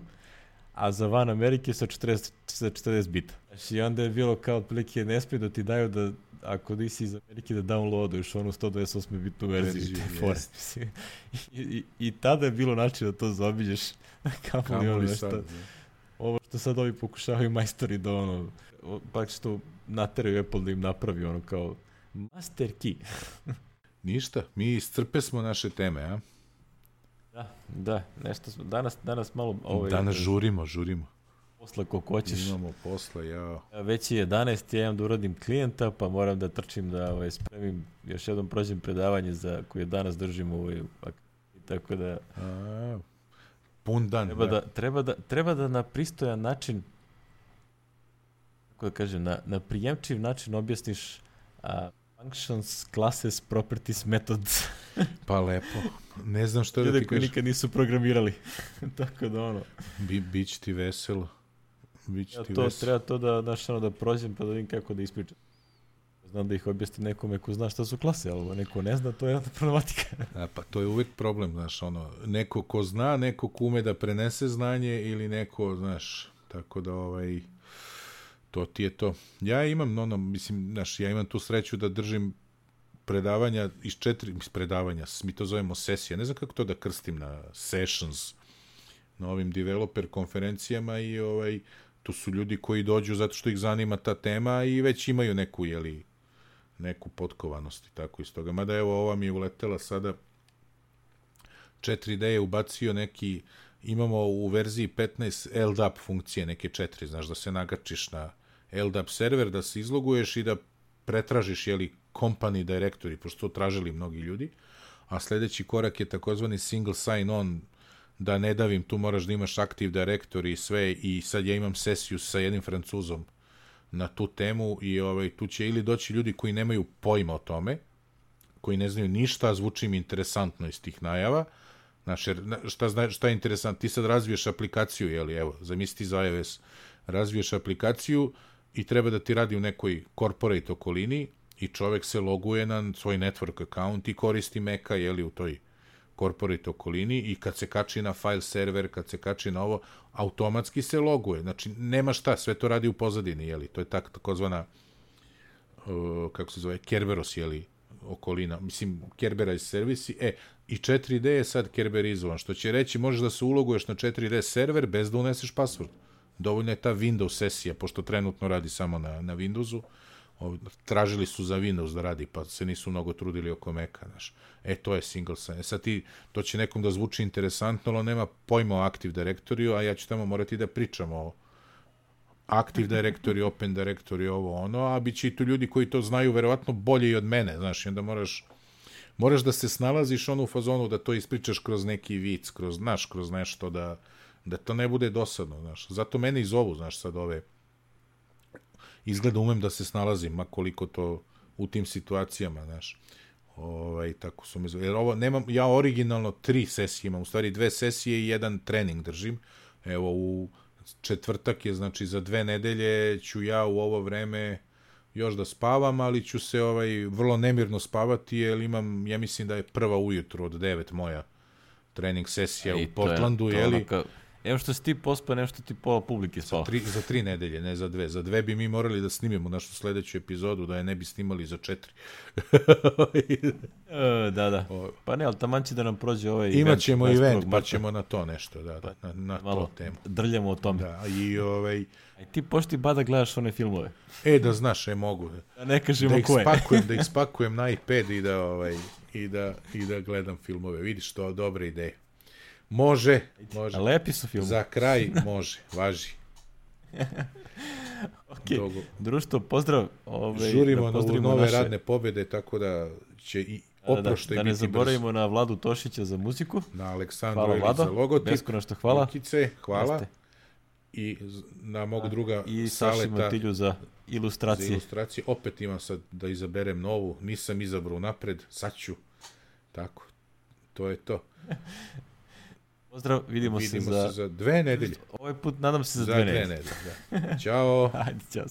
a za van Amerike sa 40 bita. Znači, i onda je bilo kao otprilike ne smije da ti daju ako nisi iz Amerike da downloaduješ onu 128 bitnu verziju. I tada je bilo način da to zaobiđeš. Kamoli sad. Ovo što sad ovi pokušavaju majstori da pak što nateraju Apple da im napravi kao master key. Ništa, mi iscrpe smo naše teme, a? Da, nešto smo, danas malo... danas žurimo. Posla koliko hoćeš. Imamo posla, Već je 11, ja imam da uradim klijenta, pa moram da trčim da spremim, još jednom prođem predavanje za koje danas držim tako da... Pun dan. Treba da na pristojan način, kako da kažem, na prijemčiv način objasniš functions, classes, properties, methods. Pa lepo. Ne znam što da ti kažem. Ljudi koji nikad nisu programirali. Tako da Biće ti veselo. Treba to da prođem pa da vidim kako da ispričam. Znam da ih objasni nekome ko zna šta su klase, ali neko ne zna, to je jedna problematika. Pa to je uvijek problem, znaš, neko ko zna, neko ko ume da prenese znanje ili neko, znaš, tako da to ti je to. Ja imam, ja imam tu sreću da držim predavanja iz 4 predavanja, mi to zovemo sesije, ne znam kako to da krstim na sessions, na ovim developer konferencijama i tu su ljudi koji dođu zato što ih zanima ta tema i već imaju neku potkovanost i tako iz toga. Mada evo ova mi je uletela sada 4D je ubacio imamo u verziji 15 LDAP funkcije, neke 4, znaš, da se nagačiš na LDAP server, da se izloguješ i da pretražiš, company directory, pošto to tražili mnogi ljudi, a sljedeći korak je takozvani single sign-on, da ne davim, tu moraš da imaš Active Directory i sve, i sad ja imam sesiju sa jednim Francuzom na tu temu i tu će ili doći ljudi koji nemaju pojma o tome, koji ne znaju ništa, zvuči mi interesantno iz tih najava. Znaš, šta je interesantno? Ti sad razviješ aplikaciju, evo, zamisli za iOS, razviješ aplikaciju i treba da ti radi u nekoj corporate okolini i čovek se loguje na svoj network account i koristi Maca, u toj corporate okolini i kad se kači na file server, kad se kači na ovo, automatski se loguje. Znači, nema šta, sve to radi u pozadini, to je takozvana, kako se zove, Kerberos, okolina, mislim, Kerberized servisi, i 4D je sad kerberizovan, što će reći, možeš da se uloguješ na 4D server bez da uneseš password. Dovoljno je ta Windows sesija, pošto trenutno radi samo na Windowsu, tražili su za Windows da radi, pa se nisu mnogo trudili oko Maca, znaš. To je single sign. Sad to će nekom da zvuči interesantno, ali nema pojma o Active Directory, a ja ću tamo morati da pričam o Active Directory, Open Directory, a bit će i tu ljudi koji to znaju verovatno bolje i od mene, znaš, i onda moraš da se snalaziš u fazonu da to ispričaš kroz neki vic, kroz nešto, da to ne bude dosadno, znaš. Zato mene i zovu, znaš, sad izgleda umem da se snalazim, ma koliko to u tim situacijama, znaš. Tako su me zvali. Jer ja originalno 3 sesije imam, u stvari 2 sesije i 1 trening držim. Evo, u četvrtak je, znači za 2 nedelje ću ja u ovo vreme još da spavam, ali ću se vrlo nemirno spavati, jer imam, ja mislim da je prva ujutru od 9 moja trening sesija u Portlandu, Evo što si ti pospa, nešto ti pola publike spava. Za 3 nedelje, ne za 2. Za 2 bi mi morali da snimimo našu sledeću epizodu, da je ne bi snimali za 4. Da. Pa ne, ali taman će da nam prođe ovaj event. Imaćemo event, pa ćemo na to nešto, na to temu. Drljamo o tome. Da, A ti pošti da gledaš one filmove. Da znaš, mogu. Da ne kažemo koje. Da ih spakujem na iPad i da gledam filmove. Vidiš, to je dobra ideja. Može. A lepi su filmu. Za kraj može, važi. Društvo, pozdrav. Žurimo na nove radne pobjede, tako da će i oproštaj biti brzo. Da ne zaboravimo na Vladu Tošića za muziku. Na Aleksandru Eli za logotip. Beskonačno hvala. Lukice, hvala. I na mog druga i Saši Matilju za ilustracije. Opet imam sad da izaberem novu. Nisam izabrao napred. Sad ću. Tako. To je to. Pozdrav, vidimo se za 2 nedelje. Ovaj put nadam se za 2 nedelje. Ćao. Ajde, čao.